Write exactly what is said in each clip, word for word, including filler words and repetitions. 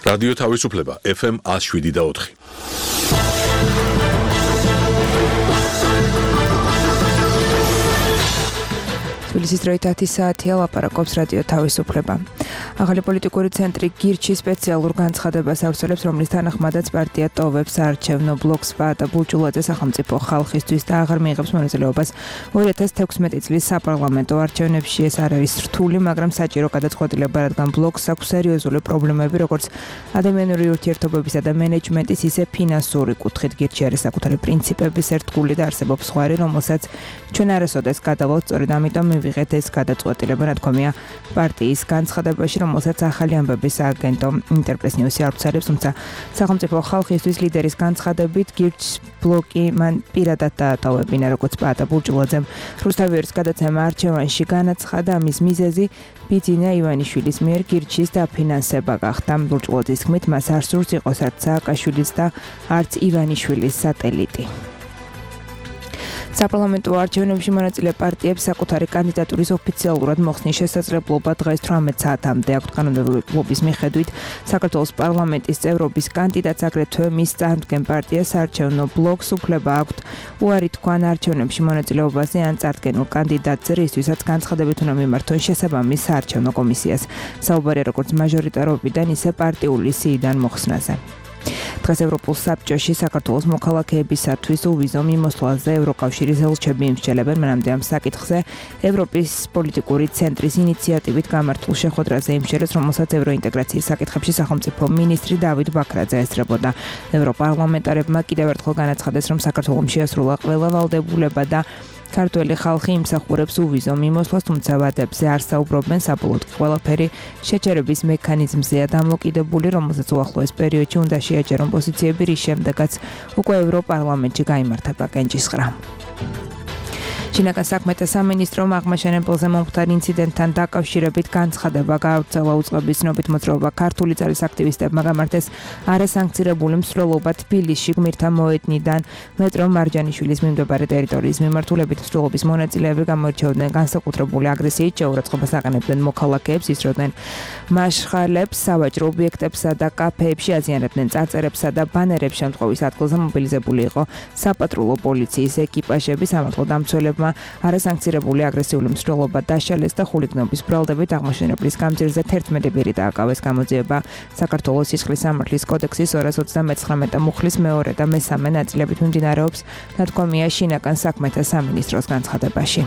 რადიო თავისუფლება ეფ ემ ნული შვიდი და ოთხი. თბილისის დროით ათი საათია, ლაპარაკობს რადიო თავისუფლება. ახალი პოლიტიკური ცენტრი გირჩი სპეციალურ განცხადებას ავრცელებს, რომლის თანახმადაც პარტია ტოვებს საარჩევნო ბლოკს პაატა ბულჭულაძე სახელმწიფო ხალხისთვის და აღარ მიიღებს მონაწილეობას ორი ათას თექვსმეტი წლის საპარლამენტო არჩევნებში. ეს არ არის რთული, მაგრამ საჭირო გადაწყვეტილება, რადგან ბლოკს აქვს სერიოზული პრობლემები, როგორც ადამიანური ურთიერთობებისა და მენეჯმენტის, ისე ფინანსური კუთხით. გირჩი არის საკუთარი პრინციპების ერთგული და არსებობს სხვარი, რომელსაც ჩვენ არასოდეს გადავალთ, სწორედ ამიტომ მივიღეთ ეს გადაწყვეტილება, ნათქვამია პარტიის განცხადებაში, რომელსაც ახალი ამბების სააგენტო ინტერპრეს ნიუსი ავრცელებს, თუმცა სახელმწიფო ხალხისთვის ლიდერის განცხადებით გირჩის ბლოკი მან პირადად დაატოვებინა, როგორც პაატა ბულჭულაძემ რუსთავიერის გადაცემა არჩევანში განაცხადა. ამის მიზეზი ბიძინა ივანიშვილის მიერ გირჩის დაფინანსება გახდა. ბულჭულაძის თქმით, მას არ სურს იყოს არც სააკაშვილის და არც ივანიშვილის სატელიტი. საპარლამენტო არჩევნებში მონაწილე პარტიებს საკუთარი კანდიდატურის ოფიციალურად მოხსნის შესაძლებლობა დღეს თვრამეტ საათამდე აქვთ. კანონმდებლობის მიხედვით საქართველოს პარლამენტის წევრობის კანდიდატს, აგრეთვე მის წარდგენ პარტიას საარჩევნო ბლოკს უფლება აქვთ უარი თქვან არჩევნებში მონაწილეობაზე ან წარდგენილ კანდიდატზე, რისთვისაც განცხადებით უნდა მიმართონ შესაბამის საარჩევნო კომისიას. საუბარია როგორც მაჟორიტარობიდან, ისე პარტიული სიიდან მოხსნაზე. დღეს ევროპულ საბჭოში საქართველოს მოქალაქეებისათვის უვიზო მიმოსვლაზე ევროკავშირის ელჩები იმსჯელებენ. მანამდე ამ საკითხზე ევროპის პოლიტიკური ცენტრის ინიციატივით გამართულ შეხვედრაზე იმსჯელეს, რომელსაც ევროინტეგრაციის საკითხებში სახელმწიფო მინისტრი დავით ბაქრაძე ესწრებოდა. ევროპარლამენტარებმა კიდევ ერთხელ განაცხადეს, რომ საქართველოს შეასრულა ყველა ვალდებულება და ქართველი ხალხი იმსახურებს უვიზო მიმოსვლას, თუმცა ვადებზე არ საუბრობენ. საბოლოოდ ყველაფერი შეჩერების მექანიზმზეა დამოკიდებული, რომელსაც უახლოეს პერიოდში უნდა შეაჯერონ პოზიციები, რის შემდეგაც უკვე ევროპარლამენტში გაიმართება კენჭისყრა. ჩინაკან საქმეთა სამინისტრომ აღმაშენებელზე მომხდარ ინციდენტთან დაკავშირებით განცხადება გაავრცელა. უწყების ცნობით მოძრაობა ქართული ძალის აქტივისტებმა გამართეს არასანქცირებული მსვლელობა თბილისში გმირთა მოედნიდან მეტრო მარჯანიშვილის მიმდებარე ტერიტორიის მიმართულებით. მსვლელობის მონაწილეები გამოირჩეოდნენ განსაკუთრებული აგრესიით, შეურაცხყოფას აყენებდნენ მოქალაქეებს, ისროდნენ მაშხალებს, სავაჭრო ობიექტებსა და კაფეებში, აზიანებდნენ წარწერებსა და ბანერებს. შემთხვევის ადგილზე მობილიზებული იყო საპატრულო პოლიციის ეკიპაჟები. სამართლო დამცველებმა არასანქცირებული აგრესიული მსვლელობა დაშალეს და ხულიგნობის ბრალდებით აღმაშენებლის გამზირზე თერთმეტი პირი დააკავეს. გამოძიება საქართველოს სისხლის სამართლის კოდექსის ორას ოცდამეცხრამეტე მუხლის მეორე და მესამე ნაწილებით მიმდინარეობს, ნათქვამია შინაკან საქმეთა სამინისტროს განცხადებაში.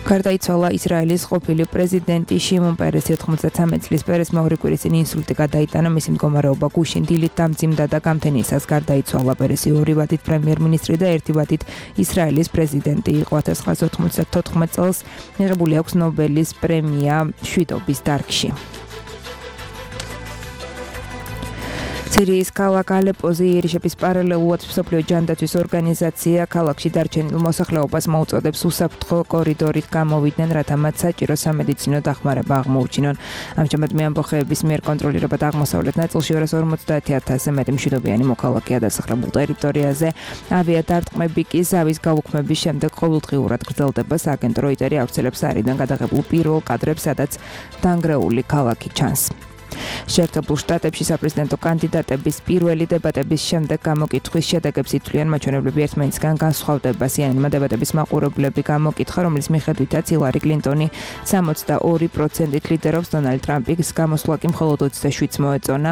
გარდაიცვალა ისრაელის ყოფილი პრეზიდენტი შიმონ პერესი. ოთხმოცდათრამეტ წლის პერესმა ორი კვირის წინ ინსულტი გადაიტანა. მისი მდგომარეობა გუშინ დილით დამძიმდა და გამთენიისას გარდაიცვალა. პერესი ორი ვადით პრემიერ-მინისტრი და ერთი ვადით ისრაელის პრეზიდენტი იყო. ათას ცხრაასი ოთხმოცდათოთხმეტ წელს მიღებული აქვს ნობელის პრემია მშვიდობის დარგში. სირიის ქალაქ ალეპოზე იერიშების პარალელურად მსოფლიო ჯანდაცვის ორგანიზაცია ქალაქში დარჩენილ მოსახლეობას მოუწოდებს უსაფრთხო კორიდორით გამოვიდნენ, რათა მათ საჭირო სამედიცინო დახმარება აღმოუჩინონ. ამჟამად მეამბოხეების მიერ კონტროლირებად აღმოსავლეთ ნაწილში ორას ორმოცდაათი ათასზე მეტი მშვიდობიანი მოქალაქეა დასახლებულ ტერიტორიაზე. ავიადარტყმები კი ზავის გაუქმების შემდეგ ყოველდღიურად გრძელდება. სააგენტო როიტერი ავრცელებს არიდან გადაღებულ პირველ კადრებს, სადაც დანგრეული ქალაქი ჩანს. შეერთებულ შტატებში საპრეზიდენტო კანდიდატების პირველი დებატების შემდეგ გამოკითხვის შედეგებს ითვლიან. მაჩვენებლები ერთმანეთისგან განსხვავდება. სი en en-მა დებატების მაყურებლები გამოკითხა, რომლის მიხედვითაც ჰილარი კლინტონი სამოცდაორი პროცენტით ლიდერობს, დონალდ ტრამპის გამოსვლა კი მხოლოდ ოცდაშვიდს მოეწონა.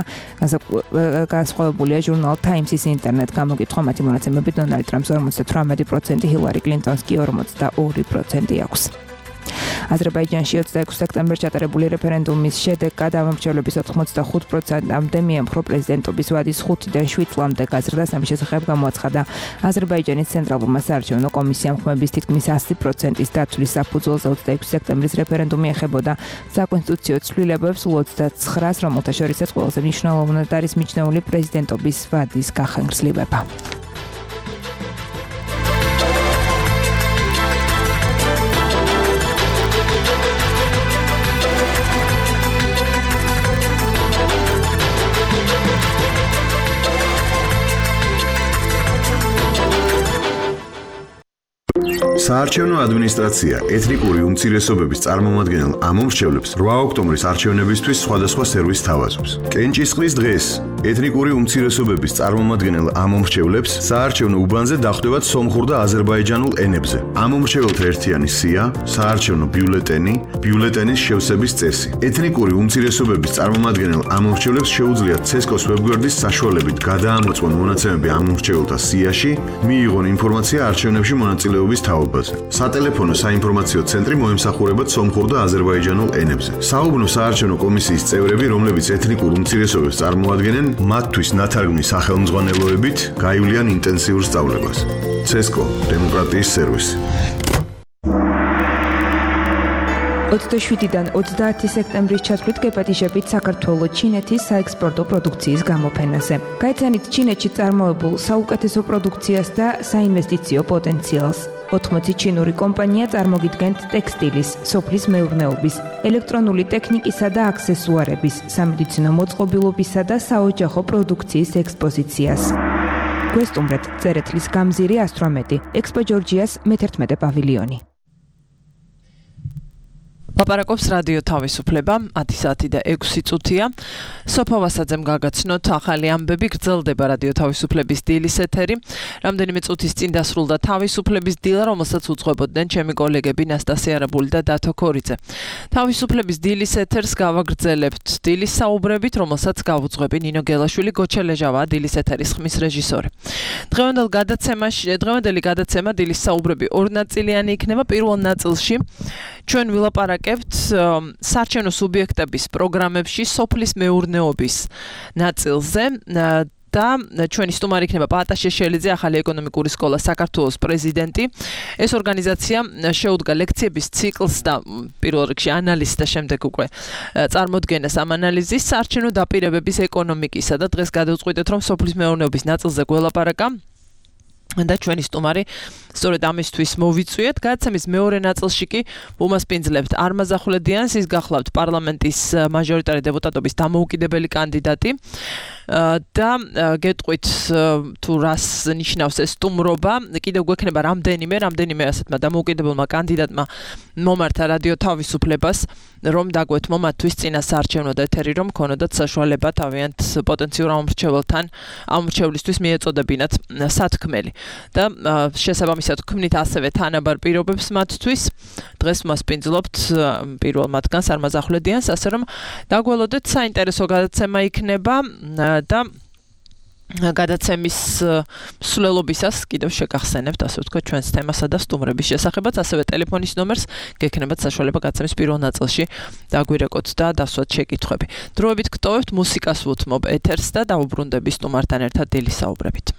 განსხვავებულია ჟურნალ Times-ის ინტერნეტ გამოკითხვა. მათი მონაცემებით დონალდ ტრამპს ორმოცდათვრამეტი პროცენტი, ჰილარი კლინტონს კი ორმოცდაორი პროცენტი აქვს. აზერბაიჯანში ოცდაექვსი სექტემბერს ჩატარებული რეფერენდუმის შედეგად ამომრჩევლების ოთხმოცდახუთ პროცენტამდე მიემხრო პრეზიდენტობის ვადის ხუთიდან შვიდ წლამდე გაზრდას. ამის შესახებ გამოაცხადა აზერბაიჯანის ცენტრალურმა საარჩევნო კომისიამ. ხმების თითქმის ასი პროცენტის დაცვის საფუძველზე ოცდაექვსი სექტემბრის რეფერენდუმი ეხებოდა საკონსტიტუციო ცვლილებებს, სულ ოცდაცხრას, რომელთა შორისაც ყველაზე მნიშვნელოვნად არის მიჩნეული პრეზიდენტობის ვადის გახანგრძლივება. საარჩევნო ადმინისტრაცია ეთნიკური უმცირესობების წარმომადგენელ ამომრჩევლებს რვა ოქტომბრის არჩევნებისთვის სხვადასხვა სერვისს თავაზობს. კენჭისყრის დღეს ეთნიკური უმცირესობების წარმომადგენელ ამომრჩევლებს საარჩევნო უბანზე დახვდებათ სომხურ და აზერბაიჯანულ ენებზე. ამომრჩეველთა ერთიანი სია, საარჩევნო ბიულეტენი, ბიულეტენის შევსების წესი. ეთნიკური უმცირესობების წარმომადგენელ ამომრჩევლებს შეუძლიათ ცესკოს ვებგვერდის საშუალებით გადაამოწმონ მონაცემები ამომრჩეველთა სიაში, მიიღონ ინფორმაცია არჩევნებში მონაწილეობის თაობაზე. სატელეფონო საინფორმაციო ცენტრი მოემსახურებათ სომხურ და აზერბაიჯანულ ენებზე. საუბნო საარჩევნო კომისიის წევრები, რომლებიც ეთნიკურ უმცირესობებს წარმოადგენენ, მათთვის ნათარგმნის სახელმძღვანელოებით გაივლიან ინტენსიურ სწავლებას. ცესკო დემოკრატიის სერვისი. ოცდაშვიდიდან ოცდაათი სექტემბრის ჩათვლით გეპატიჟებით საქართველოს ჩინეთის საექსპორტო პროდუქციის გამოფენაზე. გაიცანით ჩინეთში წარმოებულ საუკეთესო პროდუქციას და საინვესტიციო პოტენციალს. ოთხმოცი ჩინური კომპანია წარმოგიდგენთ ტექსტილის, სოფლის მეურნეობის, ელექტრონული ტექნიკისა და აქსესუარების, სამედიცინო მოწყობილობისა და საოჯახო პროდუქციის ექსპოზიციას. გვესტუმრეთ წერეთლის გამზირი ასტრომეტი, ექსპო ჯორჯიას მეთერთმეტე პავილიონი. ლაპარაკობს რადიო თავისუფლება, ათი საათი და ექვსი წუთია. სოფო ვასაძემ გაგაცნოთ ახალი ამბები, გრძელდება რადიო თავისუფლების დილის ეთერი. რამდენიმე წუთის წინ დასრულდა თავისუფლების დილა, რომელსაც უძღვებოდნენ ჩემი კოლეგები ნასტასია არაბული და დათო ქორიძე. თავისუფლების დილის ეთერს გავაგრძელებთ დილის საუბრებით, რომელსაც გავუძღვები ნინო გელაშვილი, გოჩა ლეჟავაა დილის ეთერის ხმის რეჟისორი. დღევანდელ გადაცემაში, დღევანდელი გადაცემა დილის საუბრები ორნაწილიანი იქნება. პირველ ნაწილში ჩვენ ვილაპარაკებთ საარჩევნო სუბიექტების პროგრამებში სოფლის მეურნეობის ნაწილზე და ჩვენი სტუმარი იქნება პაატა შეშელიძე, ახალი ეკონომიკური სკოლა საქართველოს პრეზიდენტი. ეს ორგანიზაცია შეუდგა ლექციების ციკლს და პირველ რიგში ანალიზს და შემდეგ უკვე წარმოდგენას ამ ანალიზის საარჩევნო დაპირებების ეკონომიკისა და დღეს გადავწყვიტეთ, რომ სოფლის მეურნეობის ნაწილზე გველაპარაკა. და ჩვენი სტუმარი სწორედ ამისთვის მოვიწვიეთ. გადაცემის მეორე ნაწილში კი უმასპინძლებთ არმაზ ახვლედიანს, ის გახლავთ პარლამენტის მაჟორიტარი დეპუტატობის დამოუკიდებელი კანდიდატი და გეტყვით თუ რას ნიშნავს ეს სტუმრობა. კიდევ გვექნება რამდენიმე, რამდენიმე ასეთმა დამოუკიდებელმა კანდიდატმა მომართა რადიო თავისუფლებას, რომ დაგვეთმო მათთვის წინა საარჩევნო ეთერი, რომ ქონოდათ საშუალება თავიანთ პოტენციურ ამომრჩეველთან ამომრჩევლისთვის მიეწოდებინათ სათქმელი. და შესაბამისად ვქმნით ასევე თანაბარ პირობებს მათთვის. დღეს მასპინძლობთ პირველ მათგანს არმაზ ახვლედიანს, ასე რომ დაგველოდეთ საინტერესო გადაცემა იქნება და გადაცემის მსვლელობისას კიდევ შეგახსენებთ, ასე ვთქვათ, ჩვენს თემასა და სტუმრების შესახებაც, ასევე ტელეფონის ნომერს გექნებათ საშუალება გადაცემის პირველ ნაწილში დაგვირეკოთ და დასვათ შეკითხვები. დროებით გტოვებთ მუსიკას ვუთმობ ეთერს და დავუბრუნდები სტუმართან ერთად დილის საუბრებით.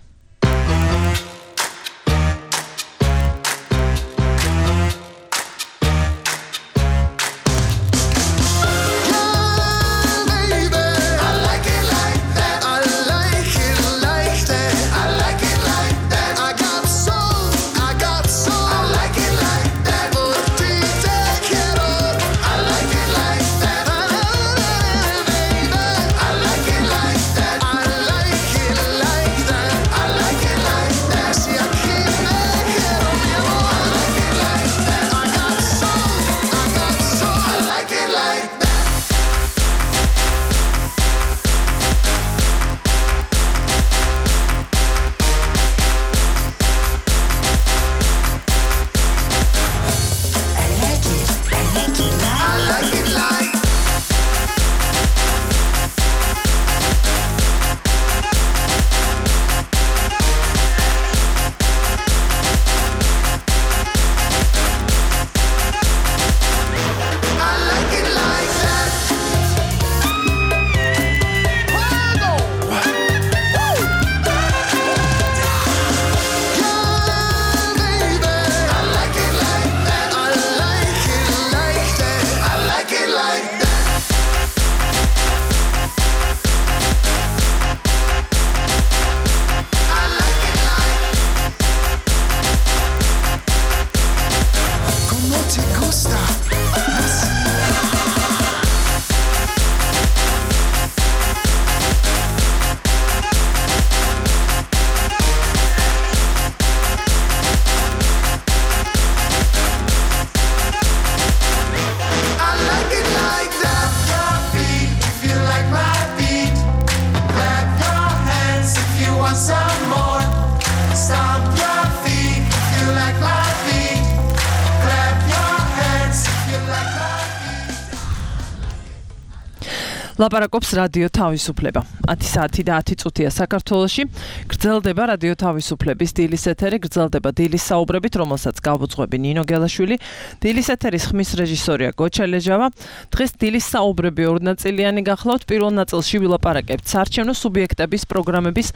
ლაპარაკობს რადიო თავისუფლება. ათი საათი და ათი წუთია საქართველოში. გრძელდება რადიო თავისუფლების დილის ეთერი, გრძელდება დილის საუბრებით, რომელსაც გავუძღვები ნინო გელაშვილი. დილის ეთერის ხმის რეჟისორია გოჩა ლეჟავა. დღეს დილის საუბრები ორნაწილიანი გახლავთ. პირველ ნაწილში ვილაპარაკებთ საარჩევნო სუბიექტების პროგრამების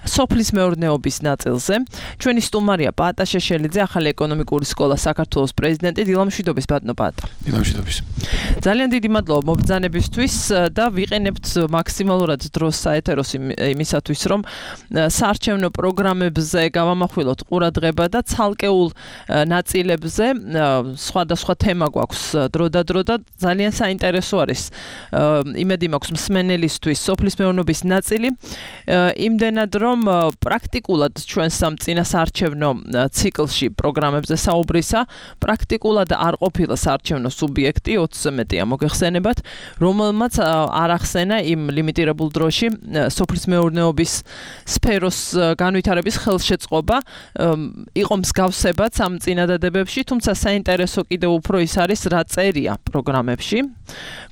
სოფლის მეურნეობის ნაწილზე. ჩვენი სტუმარია პაატა შეშელიძე, ახალი ეკონომიკური სკოლა საქართველოს პრეზიდენტი. დილამშვიდობის ბატონო პაატა. დილამშვიდობის. ძალიან დიდი მადლობა მობრძანებისთვის და ვიყენებთ მაქსიმალურად დროს საეთეროს იმისათვის, რომ საარჩევნო პროგრამებზე გავამახვილოთ ყურადღება და ცალკეულ ნაწილებზე სხვადასხვა თემა გვაქვს დრო და დრო და ძალიან საინტერესო არის. იმედი მაქვს მსმენელისთვის სოფლის მეურნეობის ნაწილი. იმდენად რომ პრაქტიკულად ჩვენ სამ წინა საარჩევნო ციკლში პროგრამებზე საუბრისა, პრაქტიკულად არ ყოფილა საარჩევნო სუბიექტი, ოცზე მეტია მოგეხსენებათ, რომელმაც არ ახსენა იმ ლიმიტირებულ დროში სოფლის მეურნეობის სფეროს განვითარების ხელშეწყობა. იყო მსგავსებაც ამ წინადადებებში, თუმცა საინტერესო კიდევ უფრო ის არის, რა წერია პროგრამებში.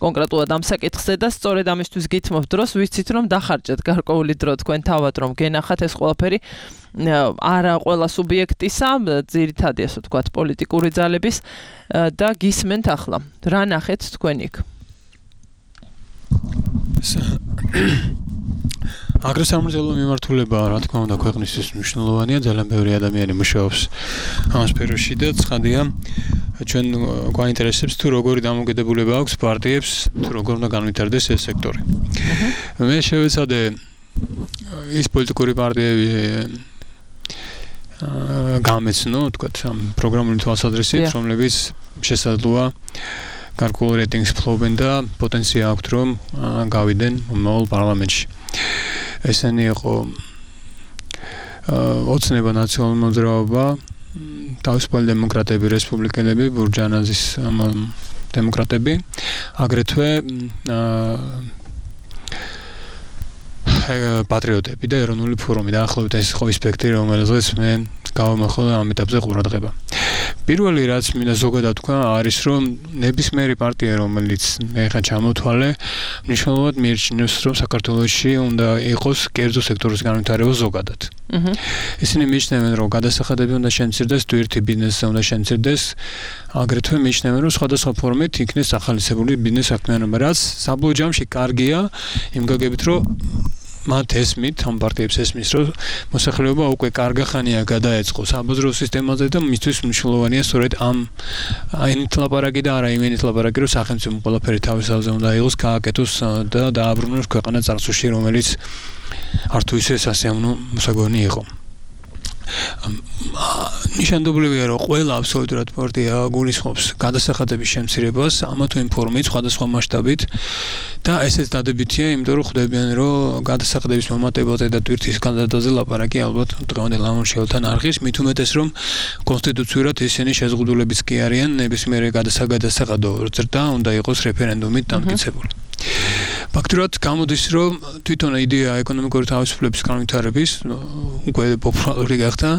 კონკრეტულად ამ საკითხზე და სწორედ ამისთვის გითმობ დროს, ვიცით რომ დახარჯეთ გარკვეული დრო თქვენ თავად რომ გენახათ ეს ყველაფერი არა ყველა სუბიექტისა, ძირითადად ასე ვთქვათ პოლიტიკური ძალების და გისმენთ ახლა. რა ნახეთ თქვენ იქ? აგრესამრეწველო მიმართულება, რა თქმა უნდა, ქვეყნისთვის მნიშვნელოვანია, ძალიან ბევრი ადამიანი მუშაობს ამ სფეროში და ცხადია, ჩვენ გვაინტერესებს თუ როგორი დამოკიდებულება აქვს პარტიებს, თუ როგორ უნდა განვითარდეს ეს სექტორი. მე შევეცადე ის პოლიტიკური პარტიები გამეცნო, თქვათ, ამ პროგრამული თვალსაზრისით, რომლებიც შესაძლოა გარკვეულ რეიტინგს ფლობენ და პოტენცია აქვთ, რომ გავიდნენ მომავალ პარლამენტში. ესენი იყო ოცნება ნაციონალური მოძრაობა, თავისუფალი დემოკრატები, რესპუბლიკელები, ბურჯანაძის დემოკრატები, აგრეთვე პატრიოტები და ეროვნული ფორუმი. დაახლოებით ეს იყო სპექტრი, რომელზეც მე გავამახვილე ამ ეტაპზე ყურადღება. პირველი რაც მინდა ზოგადად თქვა არის, რომ ნებისმიერი პარტია, რომელიც მე ხა ჩამოთვალე, მნიშვნელოვნად მიიჩნევს, რომ საქართველოში უნდა იყოს კერძო სექტორის განვითარება ზოგადად. ისინი მიიჩნევენ, რომ გადასახადები უნდა შემცირდეს, თვირთი ბიზნესზე უნდა შემცირდეს, აგრეთვე მიიჩნევენ, რომ სხვადასხვა ფორმით იქნეს ახალისებული ბიზნეს საქმიანობა, რაც საბოლოო ჯამში კარგია, იმ გაგებით, რომ მათ ესმით, ამ პარტიებს ესმის, რომ მოსახლეობა უკვე კარგა ხანია გადაეწყო საბაზრო სისტემაზე და მისთვის მნიშვნელოვანია სწორედ ამ აინით ლაპარაკი და არა იმენით ლაპარაკი, რომ სახელმწიფო ყველაფერი თავის თავზე უნდა იყოს, გააკეთოს და დააბრუნოს ქვეყანა წარსულში, რომელიც არ თუ ისე სასიამოვნო მოსაგონი იყო. ნიშანდობლივია, რომ ყველა აბსოლუტურად პარტია გულისხმობს გადასახადების შემცირებას, ამა თუ იმ ფორმით, სხვადასხვა მასშტაბით და ესეც დადებითია, იმიტომ რომ ხვდებიან, რომ გადასახადების მომატებაზე და თვირთის განცდაზე ლაპარაკი ალბათ დღევანდელ ამორჩეულთან არ ღირს, მით უმეტეს, რომ კონსტიტუციურად ისინი შეზღუდულებიც კი არიან, ნებისმიერი გადასახადო ზრდა უნდა იყოს რეფერენდუმით დამტკიცებული. ფაქტურად გამოდის, რომ თვითონ იდეა ეკონომიკური თავისუფლების განვითარების უკვე პოპულარული გახდა,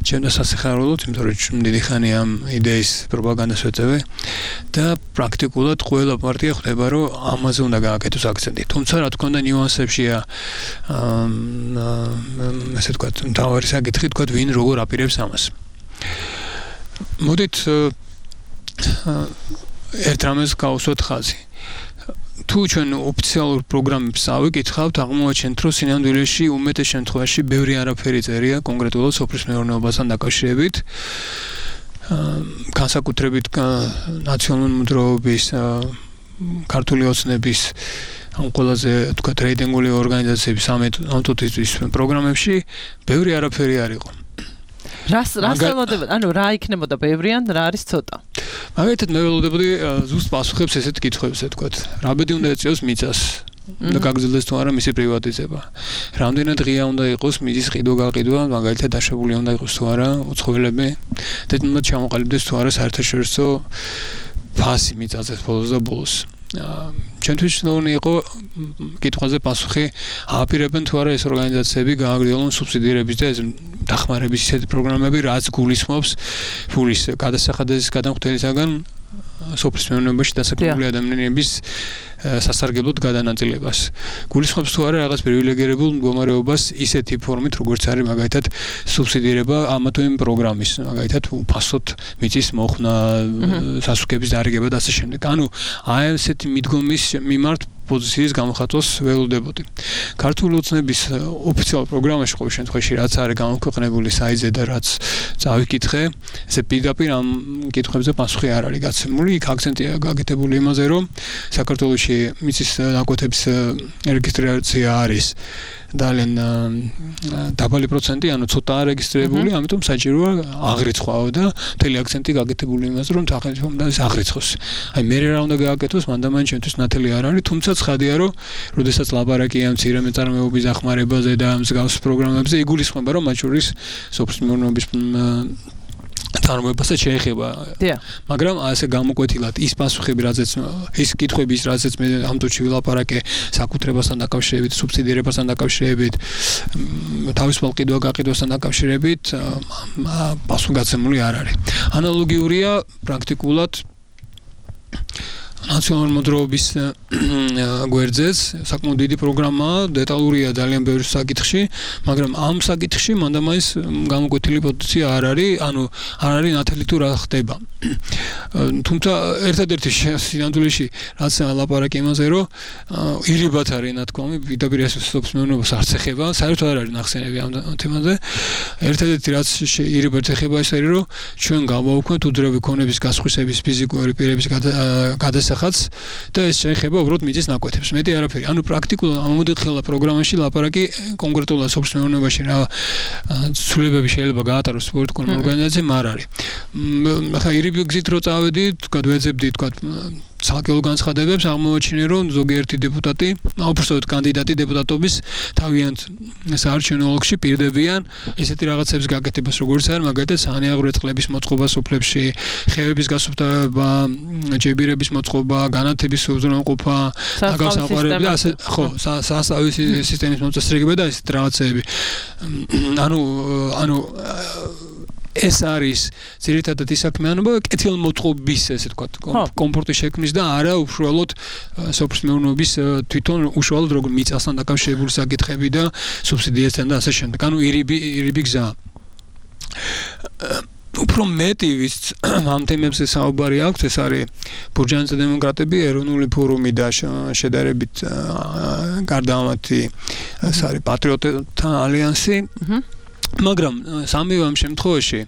ჩემს სასიხარულოდ, იმიტომ რომ დიდი ხანი ამ იდეის პროპაგანდას ვეწევე და პრაქტიკულად ყველა პარტია ხვდება, რომ ამაზე უნდა გააკეთოს აქცენტი. თუმცა, რა თქმა უნდა, ნიუანსებშია ასე ვთქვათ, მთავარი საკითხი, თქვათ, ვინ როგორ აპირებს ამას. მოდით ერთ რამეს გავუსვათ ხაზი. თუ ჩვენ ოფიციალურ პროგრამებს ავიკითხავთ, აღმოაჩენთ, რომ სინამდვილეში უმეტეს შემთხვევაში ბევრი არაფერი წერია კონკრეტულად სოფლის მეურნეობასთან დაკავშირებით. განსაკუთრებით ნაციონალური მოძრაობის, ქართული ოცნების ამ ყველაზე თქვათ რეიტინგული ორგანიზაციების ამტვთვის პროგრამებში ბევრი არაფერი არ იყო. რას რას ველოდებოდა? ანუ რა იქნებოდა ბევრი ან რა არის ცოტა? მაგალითად მე ველოდებოდი ზუსტ პასუხებს ესეთ კითხვებზე, თქვათ. რა ბედი უნდა ეწიოს მიწას? და გაგრძელდეს თუ არა მისი პრივატიზება. რამდენად ღია უნდა იყოს მიწის ყიდვა-გაყიდვა, მაგალითად დაშვებული უნდა იყოს თუ არა უცხოელები და უნდა ჩამოყალიბდეს თუ არა საერთაშორისო ფასი მიწაზე ბოლოს და ბოლოს. ჩემთვის ნორმალი იყო კითხვაზე პასუხი ააპირებენ თუ არა ეს ორგანიზაციები გააგრძელონ სუბსიდირების და დახმარების ისეთი პროგრამები, რაც გულისხმობს ფულის გადასახადების გადამხდელისაგან სოფლის მეურნეობაში დასაქმებული ადამიანების სასარგებლოდ გადანაწილებას. გულისხმობს თუ არა რაღაც პრივილეგირებულ მდგომარეობას ისეთი ფორმით, როგორც არის მაგალითად სუბსიდირება ამა თუ იმ პროგრამის, მაგალითად უფასოდ მიწის მოხსნა, სასუქების დარიგება და ასე შემდეგ. ანუ აი ესეთი მიდგომის მიმართ პოზიციის გამოხატვას ველოდებოდი. ქართული ოცნების ოფიციალურ პროგრამაში ყოველ შემთხვევაში რაც არის გამოქვეყნებული საიტზე და რაც წავიკითხე, ესე პირდაპირ ამ კითხვებზე პასუხი არ არის გაცემული. იქ აქცენტია გაკეთებული იმაზე, რომ საქართველოში მიწის ნაკვეთების რეგისტრაცია არის ძალიან დაბალი პროცენტი, ანუ ცოტა რეგისტრირებული, ამიტომ საჭიროა აღრიცხვაო და მთელი აქცენტი გაკეთებული იმაზე, რომ სახელმწიფო უნდა აღრიცხოს. აი მე რა უნდა გააკეთოს, მანდამან ჩემთვის ნათელი არ არის, თუმცა ცხადია, რომ როდესაც ლაპარაკია მცირე მეწარმეობის დახმარებაზე და მსგავს პროგრამებზე, იგულისხმება, რომ მათ შორის სოფლის მეურნეობის წარმოებასაც შეეხება. მაგრამ ასე გამოკვეთილად ის პასუხები, რაზეც ის კითხვები, რაზეც მე ამ თვეში ვილაპარაკე საკუთრებასთან დაკავშირებით, სუბსიდირებასთან დაკავშირებით, თავისუფალ ყიდვა-გაყიდვასთან დაკავშირებით, პასუხგაცემული არ არის. ანალოგიურია პრაქტიკულად ნაციონალური მოძრაობის გვერდზეც საკმაოდ დიდი პროგრამაა, დეტალურია ძალიან ბევრ საკითხში, მაგრამ ამ საკითხში მანდამაის გამოკვეთილი პოზიცია არ არის, ანუ არ არის ნათელი თუ რა ხდება. თუმცა ერთადერთი სინამდვილეში რაც ლაპარაკი იმაზე, რომ ირიბად არის ნათქვამი, პირდაპირ სოფლის მეურნეობას არც ეხება, საერთოდ არ არის ნახსენები ამ თემაზე. ერთადერთი რაც ირიბად ეხება ის არის, რომ ჩვენ გავაუქმოთ უძრავი ქონების გასხვისების ფიზიკური პირების გადასახადს და ეს შეეხება უბრალოდ მიწის ნაკვეთებს. მეტი არაფერი. ანუ პრაქტიკულად ამოდიხელა პროგრამაში ლაპარაკი კონკრეტულად სოფლის მეურნეობაში რა ცვლილებები შეიძლება გაატაროს პოლიტიკურ ორგანიზაციამ არ არის. ახლა ირიბი გზით რო წავედით, გადვეძებდი თქვა ცალკეულ განცხადებებს, აღმოაჩინე რომ ზოგიერთი დეპუტატი, უბრალოდ კანდიდატი დეპუტატობის თავიანთ საარჩევნო ოლქში პირდებიან ესეთი რაღაცების გაკეთებას, როგორც არის მაგალითად საანიაღრევე წყლების მოწყობა სოფლებში, ხეების გასუფთავება, ჯებირების მოწყობა, განათების უზრუნველყოფა, აგასაყვარები და ასე ხო, სასწავლის სისტემის მოწესრიგება და ესეთ რაღაცები. ანუ ანუ ეს არის ძირითადად ის საქმიანობა კეთილმოწყობის ესე თქვა კომფორტის შექმნის და არა უშუალოდ სოფლის მეურნეობის თვითონ უშუალოდ როგორ მიწასთან დაკავშირებული საკითხები და სუბსიდიასთან და ასე შემდეგ. ანუ ირიბი ირიბი გზა. უფრო მეტი ვის ამ თემებზე საუბარი აქვს, ეს არის ბურჯაანზე დემოკრატები, ეროვნული ფორუმი და შედარებით გარდამავალი ეს არის პატრიოტთა ალიანსი. მაგრამ სამივე ამ შემთხვევაში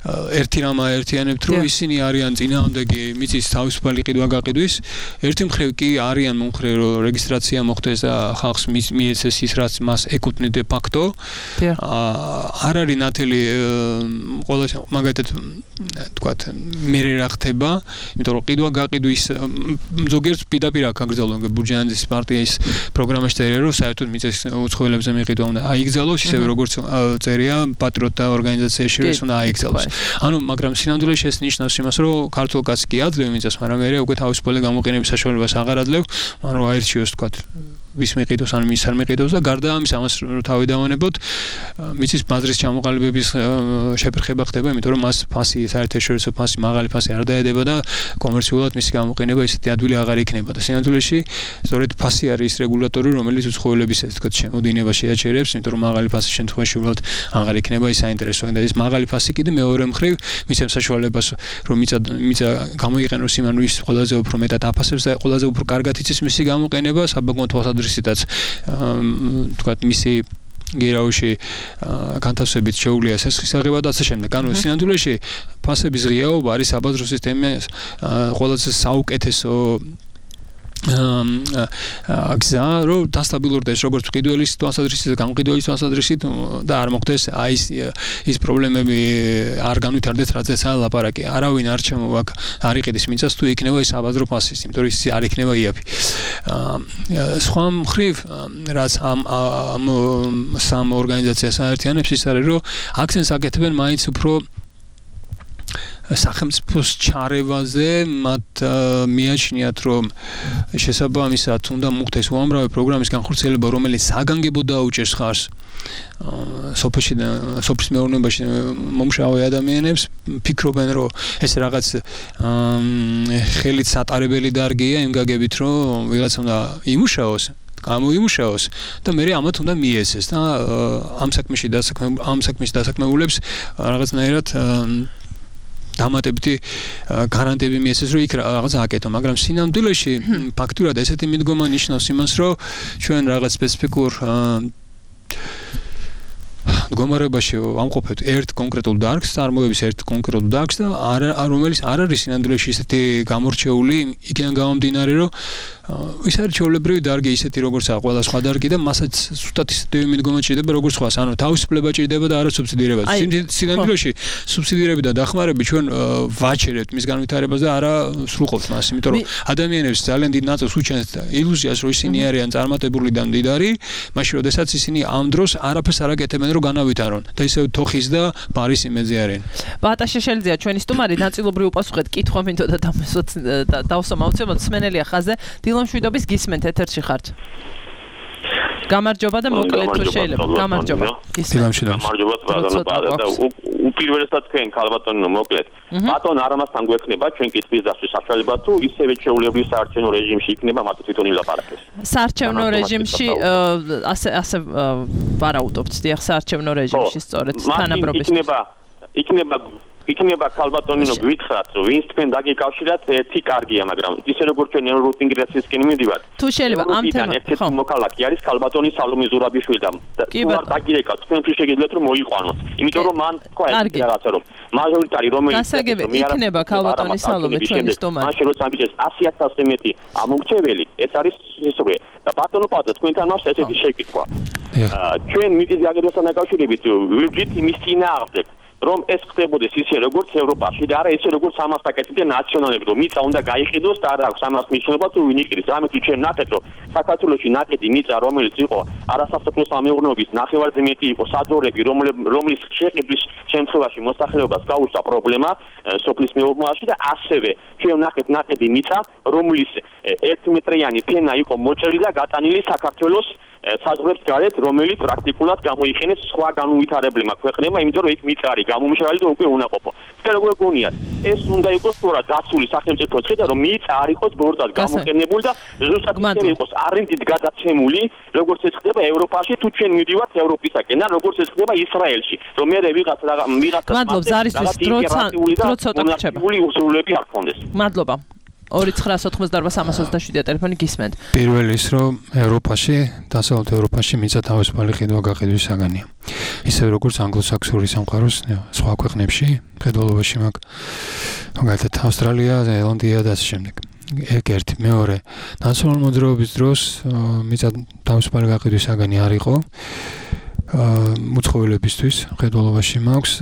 ერთი რამა ერთიანებთ, რომ ისინი არიან წინააღმდეგი მიწის თავისუფალი ყიდვა-გაყიდვის, ერთი მხრივ კი არიან მომხრე, რომ რეგისტრაცია მოხდეს და ხალხს მიეცეს ის, რაც მას ეკუთვნი დე ფაქტო. არ არის ნათელი ყველა მაგალითად თქვათ მე რა ხდება, იმიტომ რომ ყიდვა-გაყიდვის ზოგიერთ პირდაპირ აქ აკრძალონ ბურჯაანძის პარტიის პროგრამაში წერია, რომ საერთოდ მიწის უცხოელებზე მიყიდვა უნდა აიგზალოს, ისევე როგორც წერია პატრიოტთა ორგანიზაციაში, რომ ეს უნდა აიგზალოს. ანუ მაგრამ სინამდვილეში ეს ნიშნავს იმას, რომ ქართულ კაცს კი აძლევ მიწას, მაგრამ მე უკვე თავისუფალი გამოყენების საშუალებას აღარ აძლევ, ანუ აირჩიოს თქვათ ვის მიყიდოს ან ვის არ მიყიდოს და გარდა ამის ამას რომ თავი დავანებოთ, მიწის ბაზრის ჩამოყალიბების შეფერხება ხდება, იმიტომ რომ მას ფასი საერთაშორისო ფასი, მაღალი ფასი არ დაედება და კომერციულად მისი გამოყენება ისეთი ადვილი აღარ იქნება და სინამდვილეში სწორედ ფასი არის ის რეგულატორი, რომელიც უცხოელების ესე თქვათ შემოდინებას შეაჩერებს, იმიტომ რომ მაღალი ფასის შემთხვევაში უბრალოდ აღარ იქნება ის საინტერესო და ეს მაღალი ფასი კიდე მეორე მხრივ მისცემს საშუალებას, რომ მიწა მიწა გამოიყენოს იმ ანუ ის ყველაზე უფრო მეტად აფასებს და ყველაზე უფრო კარგად იცის მისი გამოყენება საბაგმო თვალსაზრისითაც თქვათ მისი გერაუში განთავსებით შეუძლია სესხის აღება და ასე შემდეგ. ანუ სინამდვილეში ფასების ღიაობა არის საბაზრო სისტემის ყველაზე საუკეთესო გზა, რომ დასტაბილურდეს როგორც ყიდველის თვალსაზრისით, გამყიდველის თვალსაზრისით და არ მოხდეს აი ის ის პრობლემები არ განვითარდეს, რაზეც ლაპარაკი. არავინ არ ჩამოვაკ არ იყიდეს მიწას თუ იქნება ის საბაზრო ფასი, იმიტომ რომ ის არ იქნება იაფი. სხვა მხრივ რაც ამ ამ სამ ორგანიზაციას აერთიანებს ის არის, რომ აქცენტს აკეთებენ მაინც უფრო სახელმწიფოს ჩარევაზე მათ მიაჩნიათ რომ შესაბამისად უნდა მოხდეს უამრავი პროგრამის განხორციელება რომელიც საგანგებო დაუჭერს ხარს სოფლის სოფლის მეურნეობაში მომშავე ადამიანებს ფიქრობენ რომ ეს რაღაც ხელით სატარებელი დარგია იმ გაგებით რომ ვიღაცა უნდა იმუშაოს გამოიმუშაოს და მე ამათ უნდა მიესეს და ამ საქმეში დასაქმე ამ საქმეში დასაქმებულებს რაღაცნაირად დამატებითი გარანტიები მიესეს რომ იქ რაღაც აკეთო მაგრამ სინამდვილეში ფაქტურად ესეთი მიდგომა ნიშნავს იმას რომ ჩვენ რაღაც სპეციფიკურ მდგომარეობაში ამყოფებთ ერთ კონკრეტულ დარგს, წარმოების ერთ კონკრეტულ დარგს და არ რომელიც არ არის სინამდვილეში ისეთი გამორჩეული, იქიდან გამომდინარე, რომ ის არის ჩვეულებრივი დარგი ისეთი როგორც ყველა სხვა დარგი და მასაც სუსტად ისეთი მიდგომა ჭირდება როგორც სხვას, ანუ თავისუფლება ჭირდება და არა სუბსიდირება. სინამდვილეში სუბსიდირები და დახმარები ჩვენ ვაჩერებთ მის განვითარებას და არა სრულყოფთ მას, იმიტომ რომ ადამიანებს ძალიან დიდ ნაწილს უჩენს ილუზიას, რომ ისინი არიან წარმატებული და მდიდარი, მაშინ როდესაც ისინი ამ დროს არაფერს არ აკეთებენ, რომ განავითარონ და ისევ თოხის და ბარის იმედზე არიან. ბატა შეშელიძეა ჩვენი სტუმარი, ნაწილობრივ უპასუხეთ კითხვა მინდოდა და დავსამავცემოთ სმენელია ხაზე. დილამშვიდობის გისმენთ ეთერში ხართ. გამარჯობა და მოკლედ თუ შეიძლება. გამარჯობა. გამარჯობა ბატონო და უპირველესად თქვენ ქალბატონო მოკლედ. ბატონ არამასთან გვექნება ჩვენ კითხვის დასვლის საშუალება თუ ისევე ჩვეულებრივ საარჩევნო რეჟიმში იქნება მათ თვითონ ილაპარაკეს. საარჩევნო რეჟიმში ასე ასე ვარაუდობთ დიახ საარჩევნო რეჟიმში სწორედ თანაბრობის. იქნება იქნება იქნება ქალბატონინო გვითხრათ რომ ვინც თქვენ დაგიკავშირათ ერთი კარგია მაგრამ ისე როგორც ჩვენ ევროინტეგრაციისკენ მივიდივართ თუ შეიძლება ამ თემას ხო მოქალაქე არის ქალბატონი სალომე ზურაბიშვილი და თუ დაგირეკავთ თქვენთვის შეგიძლიათ რომ მოიყვანოთ იმიტომ რომ მან თქვა ეს რაღაცა რომ მაჟორიტარი რომელიც იქნება ქალბატონი სალომე ჩვენი სტუმარი მაშინ როცა ამბიჭეს ასი ათასზე მეტი ამომრჩეველი ეს არის ისე და ბატონო პატა თქვენთან მას ესეთი შეკითხვა ჩვენ მიწის გაგებასთან დაკავშირებით ვიძით იმის წინააღმდეგ რომ ეს ხდებოდეს ისე როგორც ევროპაში და არა ისე როგორც ამას აკეთებდა ნაციონალები რომ მიწა უნდა გაიყიდოს და არა აქვს ამას მნიშვნელობა თუ ვინ იყიდის ამით ჩვენ ნახეთ რომ საქართველოში ნაკედი მიწა რომელიც იყო არასასოფლო სამეურნეობის ნახევარზე მეტი იყო საძოვრები რომლის შეყიდვის შემთხვევაში მოსახლეობას გაუწვა პრობლემა სოფლის მეურნეობაში და ასევე ჩვენ ნახეთ ნაკედი მიწა რომლის ერთმეტრიანი ფენა იყო მოჭრილი და გატანილი საქართველოს საზღვრებს გარეთ რომელიც პრაქტიკულად გამოიხენეს სხვა განუვითარებლებმა ქვეყნებმა იმიტომ რომ იქ მიწა არის გამომშრალი და უკვე უნაყოფო. თქვენ როგორ გონიათ ეს უნდა იყოს სწორად დაცული სახელმწიფოს ხედა რომ მიწა არ იყოს ბორტად გამოყენებული და ზუსტად ისე იყოს არენდით გადაცემული როგორც ეს ხდება ევროპაში თუ ჩვენ მივდივართ ევროპისაკენ და როგორც ეს ხდება ისრაელში რომ მე ვიღაც ვიღაც მადლობა ზარისთვის დრო ცოტა რჩება. უსრულები არ ქონდეს. მადლობა. ორი ცხრაას ოცდაოთხმოცდაარბა სამას ოცდაშვიდი ტელეფონი გისმენთ. პირველი ის რომ ევროპაში, დასავლეთ ევროპაში მიწა თავისუფალი ყიდვა გაყიდვის საგანია. ისე როგორც ანგლოსაქსონური სამყაროს სხვა ქვეყნებში, ფედერალობაში მაგ მაგალითად ავსტრალია, ზელანდია და ასე შემდეგ. ეგ ერთი, მეორე, ნაციონალური მოძრაობის დროს მიწა თავისუფალი გაყიდვის საგანი არ იყო. მუცხოველებისთვის ფედერალობაში მაქვს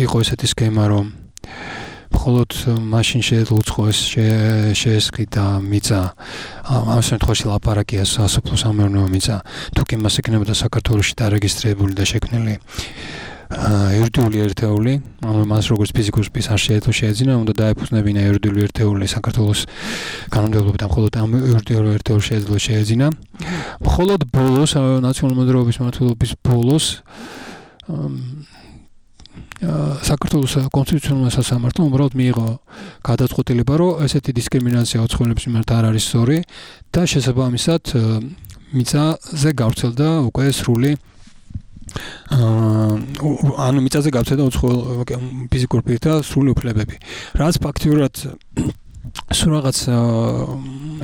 იყო ესეთი სქემა რომ მხოლოდ მაშინ შეეძლო უცხოეს შეესყიდა მიწა ამ შემთხვევაში ლაპარაკია სასოფლო სამეურნეო მიწა თუ კი მას ექნებოდა საქართველოში დარეგისტრირებული და შექმნილი იურიდიული ერთეული ანუ მას როგორც ფიზიკურ პირს არ შეეძლო შეეძინა უნდა დაეფუძნებინა იურიდიული ერთეული საქართველოს კანონმდებლობიდან მხოლოდ ამ იურიდიული ერთეულს შეეძლო შეეძინა მხოლოდ ბოლოს ნაციონალური მოძრაობის მმართველობის ბოლოს საქართველოს კონსტიტუციონალურმა სასამართლომ უბრალოდ მიიღო გადაწყვეტილება, რომ ესეთი დისკრიმინაცია უცხოელების მიმართ არ არის სწორი და შესაბამისად მიწაზე გავრცელდა უკვე სრული ანუ მიწაზე გავრცელდა უცხოელ ფიზიკურ პირთა სრული უფლებები. რაც ფაქტიურად სულ რაღაც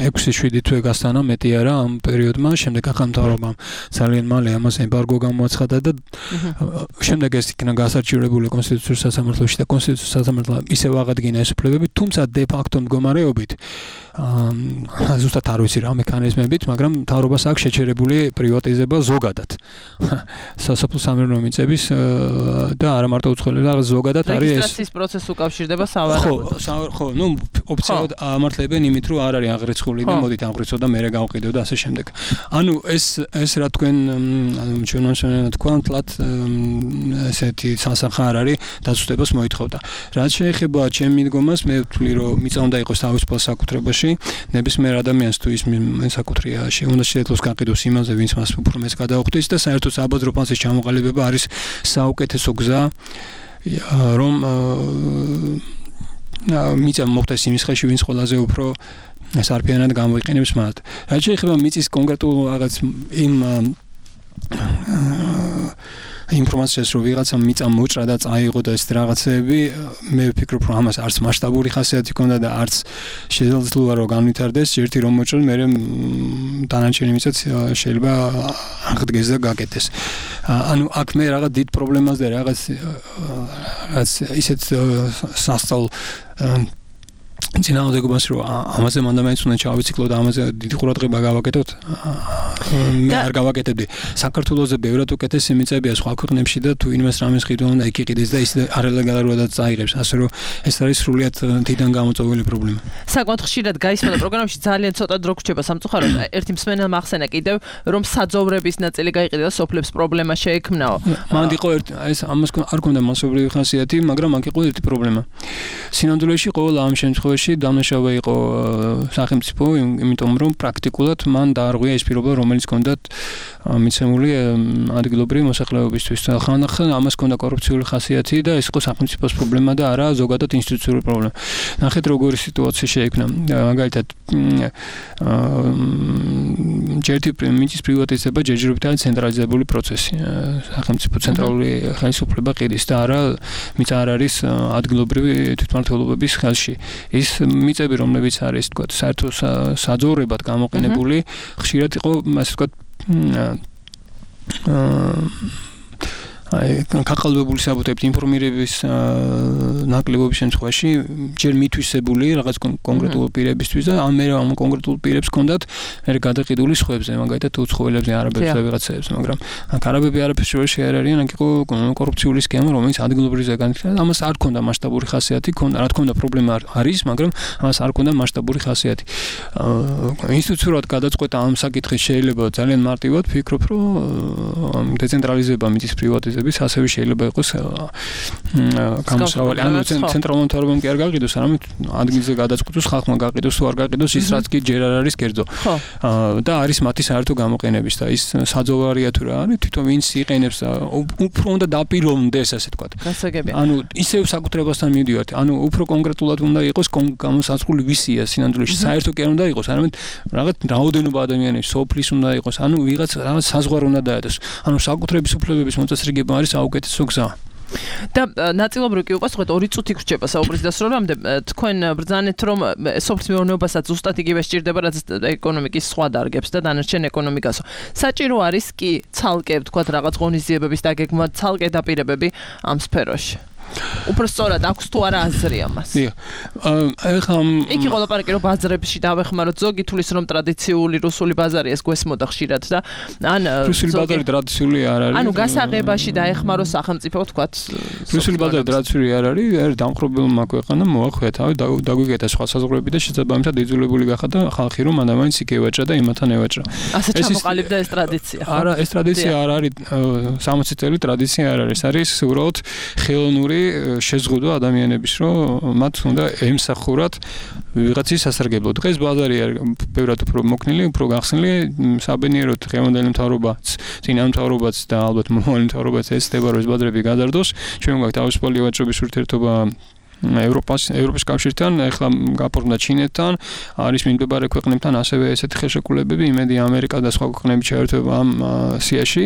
ექვსი შვიდი თვე გასტანა მეტი არა ამ პერიოდმა შემდეგ ახალმთავრობამ ძალიან მალე ამას ემბარგო გამოაცხადა და შემდეგ ეს იქნა გასარჩივრებული კონსტიტუციურ სასამართლოში და კონსტიტუციურ სასამართლომ ისევ აღადგინა ეს უფლებები თუმცა დე ფაქტო მდგომარეობით აა ზუსტად არ ვიცი რა მექანიზმებით, მაგრამ მთავრობას აქვს შეჩერებული პრივატიზება ზოგადად. სასოფლო სამეურნეო მიწების და არა მარტო უცხოელებს, რაღაც ზოგადად არის ეს რეგისტრაციის პროცესს უკავშირდება სავარაუდოდ. ხო, ხო, ნუ ოფიციალურად ამართლებენ იმით, რომ არ არის აღრიცხული და მოდით აღრიცხო და მერე გავყიდო და ასე შემდეგ. ანუ ეს ეს რა თქვენ ჩვენ მოსვენა თქვა თლათ ესეთი სასახა არ არის დაწესებას მოითხოვდა. რაც შეეხება ჩემ მიდგომას, მე ვთვლი რომ მიწა უნდა იყოს თავისუფალ საკუთრებაში, ნებისმიერ ადამიანს თუ ის საკუთრია, უნდა შეძლოს გაყიდოს იმაზე, ვინც მას უფრო მეც გადაუხდის და საერთოდ საბაზრო ფასის ჩამოყალიბება არის საუკეთესო გზა, რომ მიწა მოხდეს იმის ხელში, ვინც ყველაზე უფრო სარფიანად გამოიყენებს მათ. რაც შეეხება მიწის კონკრეტულ რაღაც იმ ინფორმაციას რომ ვიღაცა მიწა მოჭრა და წაიღო და ეს რაღაცები, მე ვფიქრობ რომ ამას არც მასშტაბური ხასიათი ჰქონდა და არც შეიძლება რომ განვითარდეს, ერთი რომ მოჭრა, მე დანარჩენი მიწაც შეიძლება აღდგეს და გაკეთდეს. ანუ აქ მე რაღაც დიდ პრობლემას და რაღაც რაღაც ისეთ სასწაულ ძინაოდეგობას რომ ამაზე მანდა მაინც უნდა ჩავიციკლო და ამაზე დიდი ყურადღება გავაკეთოთ. მე არ გავაკეთებდი. საქართველოზე ბევრად უკეთესი მიწებია სხვა ქვეყნებში და თუ ინვეს რამეს ყიდვა უნდა იქ იყიდეს და ის არალეგალურადაც წაიღებს. ასე რომ ეს არის სრულიად თიდან გამოწვეული პრობლემა. საკმაოდ ხშირად გაისმოდა პროგრამაში ძალიან ცოტა დრო გრჩება სამწუხაროდ. ერთი მსმენელმა ახსენა კიდევ რომ საძოვრების ნაწილი გაიყიდა და სოფლებს პრობლემა შეექმნაო. მანდ იყო ერთ ეს ამას არ ქონდა მასობრივი ხასიათი, მაგრამ აქ იყო ერთი პრობლემა. სინამდვილეში ყოველ ამ შემთხვევაში დამნაშავე იყო სახელმწიფო, იმიტომ რომ პრაქტიკულად მან დაარღვია ეს პირობა, რომელიც ჰქონდათ მიცემული ადგილობრივი მოსახლეობისთვის. ხანდახან ამას ჰქონდა კორუფციული ხასიათი და ეს იყო სახელმწიფოს პრობლემა და არა ზოგადად ინსტიტუციური პრობლემა. ნახეთ როგორი სიტუაცია შეექმნა. მაგალითად, ჯერთი მიწის პრივატიზება ჯერჯერობით არის ცენტრალიზებული პროცესი. სახელმწიფო ცენტრალური ხელისუფლება ყიდის და არა მიწა არ არის ადგილობრივი თვითმმართველობების ხელში. ის მიწები, რომლებიც არის, თქვა, საერთო საძოვრებად გამოყენებული, ხშირად იყო, ასე ვთქვათ, აი, კაკალვებული საბუთებით ინფორმირების ნაკლებობის შემთხვევაში ჯერ მითვისებული რაღაც კონკრეტულ პირებისთვის და ამ მე ამ კონკრეტულ პირებს ჰქონდათ მე გადაყიდული სხვებზე, მაგალითად უცხოელებზე, არაბებზე, ვიღაცებზე, მაგრამ აქ არაბები არაფერს შორის არ არიან, აქ იყო კორუფციული სქემა, რომელიც ადგილობრივზე განიხილდა, ამას არ ჰქონდა მასშტაბური ხასიათი, ჰქონდა, რა თქმა უნდა, პრობლემა არის, მაგრამ ამას არ ჰქონდა მასშტაბური ხასიათი. ინსტიტუციურად გადაწყვეტა ამ საკითხის შეიძლება ძალიან მარტივად, ვფიქრობ, რომ დეცენტრალიზება მიწის პრივატიზება ასევე შეიძლება იყოს გამოსავალი. ანუ ცენტრალურ მთავრობამ კი არ გაყიდოს, არამედ ადგილზე გადაწყვეტოს ხალხმა გაყიდოს, თუ არ გაყიდოს ის რაც კი ჯერ არ არის კერძო. და არის მათი საერთო გამოყენების და ის საძოვარია თუ რა არის, თვითონ ვინც იყენებს და უფრო უნდა დაპირონდეს, ასე ვთქვათ. გასაგებია. ანუ ისევ საკუთრებასთან მივდივართ. ანუ უფრო კონკრეტულად უნდა იყოს გამოსაზღვრული ვისია სინამდვილეში. საერთო კი არ უნდა იყოს, არამედ რაღაც რაოდენობა ადამიანების, სოფლის უნდა იყოს, ანუ ვიღაც რაღაც საზღვარი უნდა დაედოს. ანუ საკუთრების უფლებების მოწესრიგება არის საუკეთესო გზა. და ნაწილობრივ კი უყვარს, ორი წუთი გრჩება საუბრის დასრულებამდე. თქვენ ბრძანეთ, რომ სოფლის მეურნეობასაც ზუსტად იგივე სჭირდება, რაც ეკონომიკის სხვა დარგებს და დანარჩენ ეკონომიკასო. საჭირო არის კი ცალკე, ვთქვათ, რაღაც ღონისძიებების დაგეგმა, ცალკე დაპირებები ამ სფეროში. უფრო სწორად აქვს თუ არა აზრი ამას. დიახ. ეხლა იქ იყო ლაპარაკი რომ ბაზრებში დავეხმაროთ, ზოგი თulis რომ ტრადიციული რუსული ბაზარი ეს გვესმოდა ხშირად და ან რუსული ბაზარი ტრადიციული არ არის. ანუ გასაღებაში დაეხმარო სახელმწიფო, ვთქვათ. რუსული ბაზარი ტრადიციული არ არის, ერთ დამხრობილმა ქვეყანამ მოახვია თავი, დაგვიგეთა სხვა საზღვრები და შესაბამისად იძულებული გახადა ხალხი რომ მანდამაინც იქ ევაჭრა და იმათან ევაჭრა. ასე ჩამოყალიბდა ეს ტრადიცია. არა, ეს ტრადიცია არ არის სამოცი წელი ტრადიცია არ არის, არის უბრალოდ ხელოვნური შეზღუდვა ადამიანების, რომ მათ უნდა ემსახურათ ვიღაცის სასარგებლო. დღეს ბაზარი არის ბევრად უფრო მოქნილი, უფრო გახსნილი, საბედნიეროდ დღევანდელი მთავრობაც, წინა მთავრობაც და ალბათ მომავალი მთავრობაც ეცდება რომ ეს ბაზრები გადარდოს. ჩვენ გვაქვს თავისუფალი ვაჭრობის ურთიერთობა ევროპას, ევროპის კავშირთან, ეხლა გაფორმდა ჩინეთთან, არის მიმდებარე ქვეყნებთან ასევე ესეთი ხელშეკრულებები, იმედი ამერიკა და სხვა ქვეყნები ჩაერთვება ამ სიაში.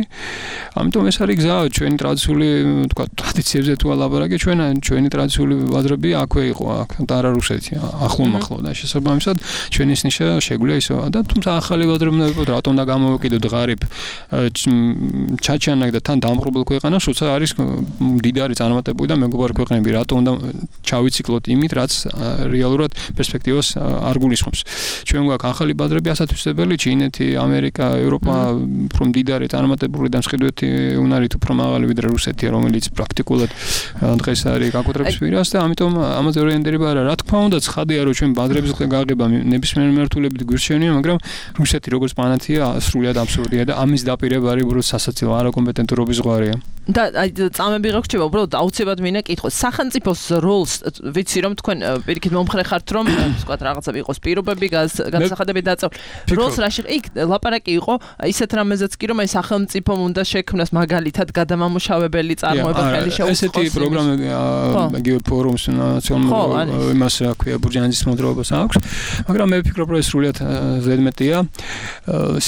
ამიტომ ეს არის გზა, ჩვენი ტრადიციული, თქვა, ტრადიციებზე თუ ალაპარაკი, ჩვენ ჩვენი ტრადიციული ბაზრები აქვე იყო, აქ და არა რუსეთი, ახლო-მახლო და შესაბამისად ჩვენი ნიშნა შეგვიძლია ისო და თუმცა ახალი ბაზრები უნდა ვიყოთ, რატომ და გამოვეკიდოთ ღარიბ ჩაჩანაკ და თან დამხრობილ ქვეყანას, როცა არის მდიდარი წარმატებული და მეგობარი ქვეყნები, რატომ უნდა ჩავიციკლოთ იმით, რაც რეალურად პერსპექტივას არ გულისხმობს. ჩვენ გვაქვს ახალი ბაზრები ასათვისებელი, ჩინეთი, ამერიკა, ევროპა, უფრო მდიდარი, წარმატებული და მსხვერპლი უნარით უფრო მაღალი ვიდრე რუსეთია, რომელიც პრაქტიკულად დღეს არის გაკუთრების პირას და ამიტომ ამაზე ორიენტირება არა. რა თქმა უნდა, ცხადია, რომ ჩვენ ბაზრების გაღება ნებისმიერ მიმართულებით გვირჩენია, მაგრამ რუსეთი როგორც პლანეტია სრულად აბსურდია და ამის დაპირება არის უბრალოდ სასაცილო არაკომპეტენტურობის ზღვარია. და აი წამები რა გრჩება, უბრალოდ აუცილებლად მინდა კითხო. სახელმწიფოს როლს ვიცი რომ თქვენ პირიქით მომხრე ხართ რომ ვთქვათ რაღაცები იყოს პირობები, განსახადები დაწევ. როლს რაში იქ ლაპარაკი იყო ისეთ რამეზეც კი რომ აი სახელმწიფომ უნდა შექმნას მაგალითად გადამამუშავებელი წარმოება ხელი შეუწყოს. ესეთი პროგრამა იგივე ფორუმს ნაციონალურ იმას რა ქვია ბურჯანაძის მოძრაობას აქვს, მაგრამ მე ვფიქრობ რომ ეს სრულიად ზედმეტია.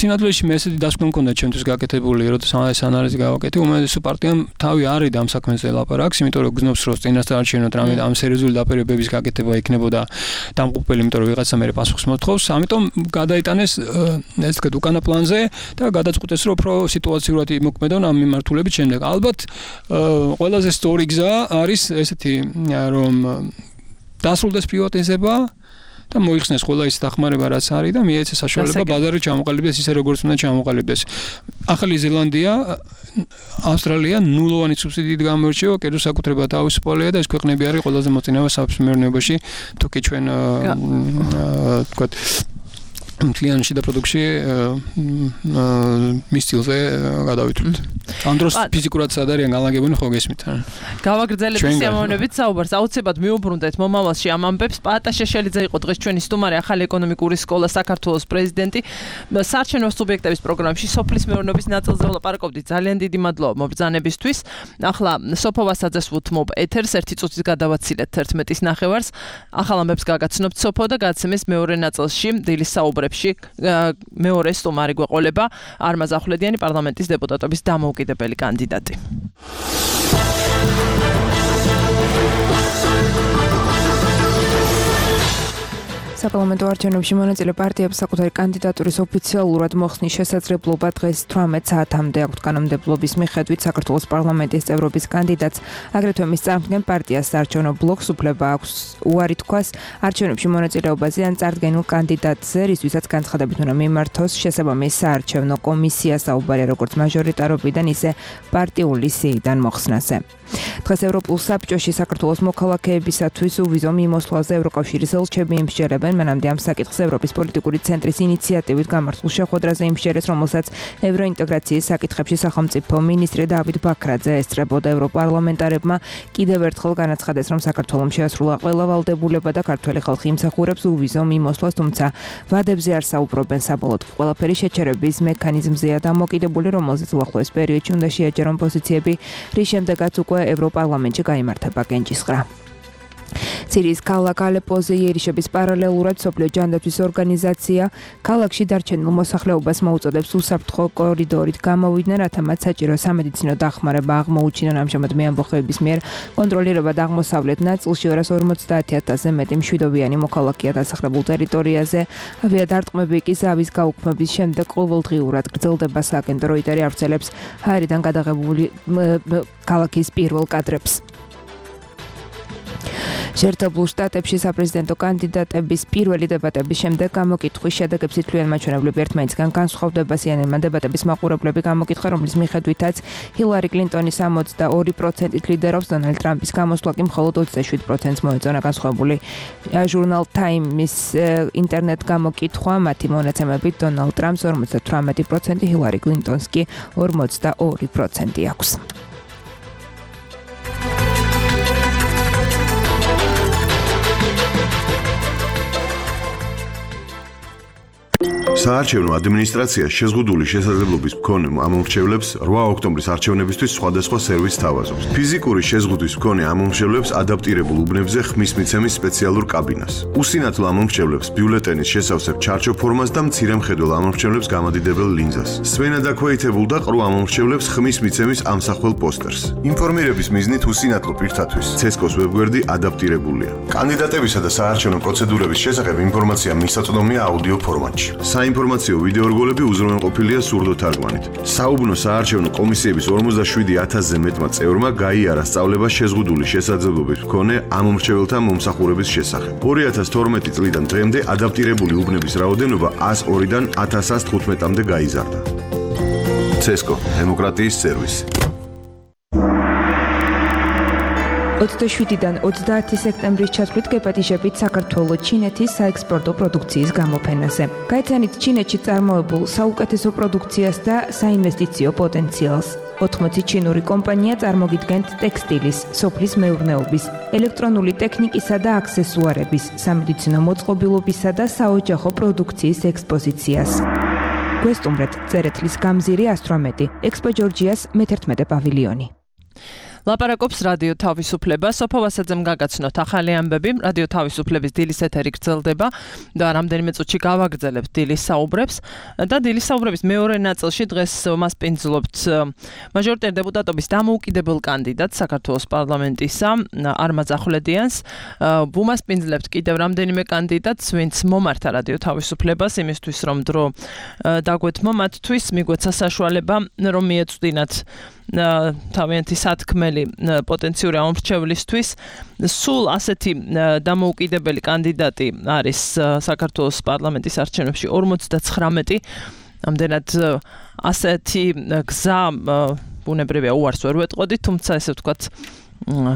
სინამდვილეში მე ესეთი დასკვნა მქონდა ჩემთვის გაკეთებული, როდესაც ეს ანალიზი გავაკეთე, უმეტესო პარტიამ თავი არის ამ საქმეზე ლაპარაკს, იმიტომ რომ გზნობს რომ წინასწარ არჩევნოთ რამე ამ სერიოზული დაპირებების გაკეთება იქნებოდა დამღუპელი, იმიტომ რომ ვიღაცა მე პასუხს მოთხოვს, ამიტომ გადაიტანეს ეს თქვა უკანა პლანზე და გადაწყვიტეს რომ უფრო სიტუაციურად იმოქმედონ ამ მიმართულებით შემდეგ. ალბათ ყველაზე სწორი გზა არის ესეთი რომ დასრულდეს პრივატიზება და მოიხსნეს ყველა ის დახმარება რაც არის და მიეცეს საშუალება ბაზარი ჩამოყალიბდეს ისე როგორც უნდა ჩამოყალიბდეს. ახალი ზელანდია, ავსტრალია ნულოვანი სუბსიდიით გამოირჩევა, კერძო საკუთრება თავისუფალია და ეს ქვეყნები არის ყველაზე მოწინავე საფეშმეურნეობაში, თუ კი ჩვენ ვთქვათ მთლიანი შიდა პროდუქცია მის სტილზე გადავითვლით. ამ დროს ფიზიკურად სად არიან განლაგებულნი ხო გესმით? გავაგრძელეთ სიამოვნებით საუბარს. აუცილებლად მიუბრუნდეთ მომავალში ამ ამბებს. პაატა შეშელიძე იყო დღეს ჩვენი სტუმარი, ახალი ეკონომიკური სკოლა საქართველოს პრეზიდენტი. საარჩევნო სუბიექტების პროგრამაში სოფლის მეურნეობის ნაწილზე ვლაპარაკობდით. ძალიან დიდი მადლობა მობრძანებისთვის. ახლა სოფო ვასაძეს ვუთმობ ეთერს, ერთი წუთის გადავაცილეთ ერთმეტის ნახევარს. ახალ ამბებს გაგაცნობთ სოფო და გაცემის მეორე ნაწილში დილის საუბრებში მეორე სტუმარი გვეყოლება არმაზ ახვლედიანი, პარლამენტის დეპუტატობის დამოუკიდებელი კანდიდატი. საპარლამენტო არჩევნებში მონაწილე პარტიებს საკუთარი კანდიდატურის ოფიციალურად მოხსნის შესაძლებლობა დღეს თვრამეტ საათამდე აქვთ. კანონმდებლობის მიხედვით საქართველოს პარლამენტის წევრობის კანდიდატს აგრეთვე მის წარმდგენ პარტიას საარჩევნო ბლოკს უფლება აქვს უარი თქვას არჩევნებში მონაწილეობაზე ან წარდგენილ კანდიდატზე, რისთვისაც განცხადებით უნდა მიმართოს შესაბამის საარჩევნო კომისია, საუბარია როგორც მაჟორიტარობიდან, ისე პარტიული სიიდან მოხსნაზე. დღეს ევროპულ საბჭოში საქართველოს მოქალაქეებისათვის უვიზო მიმოსვლაზე ევროკავშირის ელჩები იმსჯერებენ. მანამდე ამ საკითხს ევროპის პოლიტიკური ცენტრის ინიციატივით გამართულ შეხვედრაზე იმსჯერეს, რომელსაც ევროინტეგრაციის საკითხებში სახელმწიფო მინისტრი დავით ბაქრაძე ესწრებოდა. ევროპარლამენტარებმა კიდევ ერთხელ განაცხადეს, რომ საქართველოს შეასრულა ყველა ვალდებულება და ქართველი ხალხი იმსახურებს უვიზო მიმოსვლას, თუმცა ვადებზე არ საუბრობენ. საბოლოოდ ყველაფერი შეჩერების მექანიზმზეა დამოკიდებული, რომელზეც უახლოეს პერიოდში უნდა შეაჯერონ პოზიციები, რის შემდეგაც უკვე ევროპარლამენტში გაიმართება კენჭისყრა. სირიის ქალაქ ალეპოზე იერიშების პარალელურად სოფლიო ჯანდაცვის ორგანიზაცია ქალაქში დარჩენილ მოსახლეობას მოუწოდებს უსაფრთხო კორიდორით გამოვიდნენ, რათა მათ საჭირო სამედიცინო დახმარება აღმოუჩინონ. ამჟამად მეამბოხეების მიერ კონტროლირება აღმოსავლეთ ნაწილში ორას ორმოცდაათი ათასზე მეტი მშვიდობიანი მოქალაქეა დასახლებულ ტერიტორიაზე. ავიადარტყმები კი ზავის გაუქმების შემდეგ ყოველდღიურად გრძელდება. სააგენტო როიტერი ავრცელებს ჰაერიდან გადაღებული ქალაქის პირველ კადრებს. შეერთებულ შტატებში საპრეზიდენტო კანდიდატების პირველი დებატების შემდეგ გამოკითხვის შედეგებს ითვლიან მაჩვენებლები ერთმანეთისგან განსხვავდება. სიენენმა დებატების მაყურებლები გამოკითხა, რომლის მიხედვითაც ჰილარი კლინტონის ოცდაორი პროცენტით ლიდერობს, დონალდ ტრამპის გამოსვლა კი მხოლოდ ოცდაშვიდ პროცენტს მოეწონა. განსხვავებული ჟურნალ Times ინტერნეტ გამოკითხვა მათი მონაცემებით დონალდ ტრამპს ორმოცდათვრამეტი პროცენტი, ჰილარი კლინტონს კი ორმოცდაორი პროცენტი აქვს. საარჩევნო ადმინისტრაცია შეზღუდული შესაძლებლობის მქონე ამომრჩევლებს რვა ოქტომბრის არჩევნებისთვის სხვადასხვა სერვისს თავაზობს. ფიზიკური შეზღუდვის მქონე ამომრჩევლებს ადაპტირებულ უბნებზე ხმის მიცემის სპეციალურ კაბინას. უსინათლო ამომრჩევლებს ბიულეტენის შესავსებ ჩარჩო ფორმას და მცირე მხედველ ამომრჩევლებს გამადიდებელ ლინზას. სვენა დაქვეითებულ და ყრუ ამომრჩევლებს ხმის მიცემის ამსახველ პოსტერს. ინფორმირების მიზნით უსინათლო პირთათვის ცესკოს ვებგვერდი ადაპტირებულია. კანდიდატებისა და საარჩევნო პროცედურების შესახებ ინფორმაცია მისაწვდომია აუდიო ფორმატში. საინფორმაციო ვიდეო რგოლები უზრუნველყოფილია სურდო თარგმანით. საუბნო საარჩევნო კომისიების ორმოცდაშვიდი ათასზე მეტმა წევრმა გაიარა სწავლება შეზღუდული შესაძლებლობის მქონე ამ მომრჩეველთა მომსახურების შესახებ. ორი ათას თორმეტი წლიდან დღემდე ადაპტირებული უბნების რაოდენობა ათას ორიდან ათას ათას თხუთმეტამდე გაიზარდა. ცესკო, დემოკრატიის სერვისი. ოცდაშვიდიდან ოცდაათი სექტემბრის ჩათვლით გეპატიჟებით საქართველოს ჩინეთის საექსპორტო პროდუქციის გამოფენაზე. გაიცანით ჩინეთში წარმოებულ საუკეთესო პროდუქციას და საინვესტიციო პოტენციალს. ოთხმოცი ჩინური კომპანია წარმოგიდგენთ ტექსტილის, სოფლის მეურნეობის, ელექტრონული ტექნიკისა და აქსესუარების, სამედიცინო მოწყობილობისა და საოჯახო პროდუქციის ექსპოზიციას. გვესტუმრეთ წერეთლის გამზირი ასტრომეტი, ექსპო ჯორჯიას მეთერთმეტე პავილიონი. ლაპარაკობს რადიო თავისუფლება, სოფო ვასაძემ გაგაცნოთ ახალი ამბები, რადიო თავისუფლების დილის ეთერი გრძელდება და რამდენიმე წუთში გავაგრძელებთ დილის საუბრებს და დილის საუბრების მეორე ნაწილში დღეს მასპინძლობთ მაჟორიტარ დეპუტატობის დამოუკიდებელ კანდიდატს საქართველოს პარლამენტისა არმაზ ახვლედიანს. ვუმასპინძლებთ კიდევ რამდენიმე კანდიდატს, ვინც მომართა რადიო თავისუფლებას იმისთვის, რომ დრო დაგვეთმო მათთვის, მიგვეცა საშუალება, რომ მიეწვდინათ თავიანთი სათქმელი პოტენციური ამომრჩევლისთვის. სულ ასეთი დამოუკიდებელი კანდიდატი არის საქართველოს პარლამენტის არჩევნებში ორმოცდაცხრამეტი. ამდენად ასეთი გზა ბუნებრივია უარს ვერ ვეტყოდით, თუმცა ესე ვთქვათ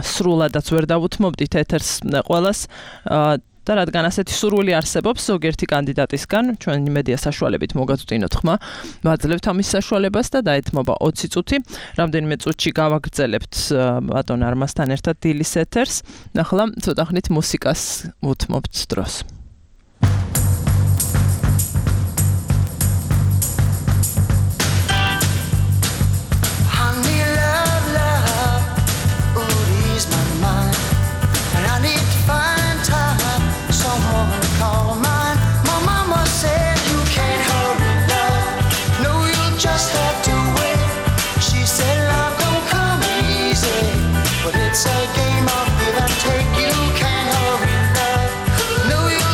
სრულადაც ვერ დავუთმობდით ეთერს ყველას. და რადგან ასეთი სურვილი არსებობს ზოგიერთი კანდიდატისგან, ჩვენი მედია საშუალებით მოგაწვდინოთ ხმა, ვაძლევთ ამის საშუალებას და დაეთმობა ოცი წუთი. რამდენიმე წუთში გავაგრძელებთ ბატონ არმაზთან ერთად დილის ეთერს. ახლა ცოტა ხნით მუსიკას ვუთმობთ დროს. It's a game of give and take. You can't hurry love. No, you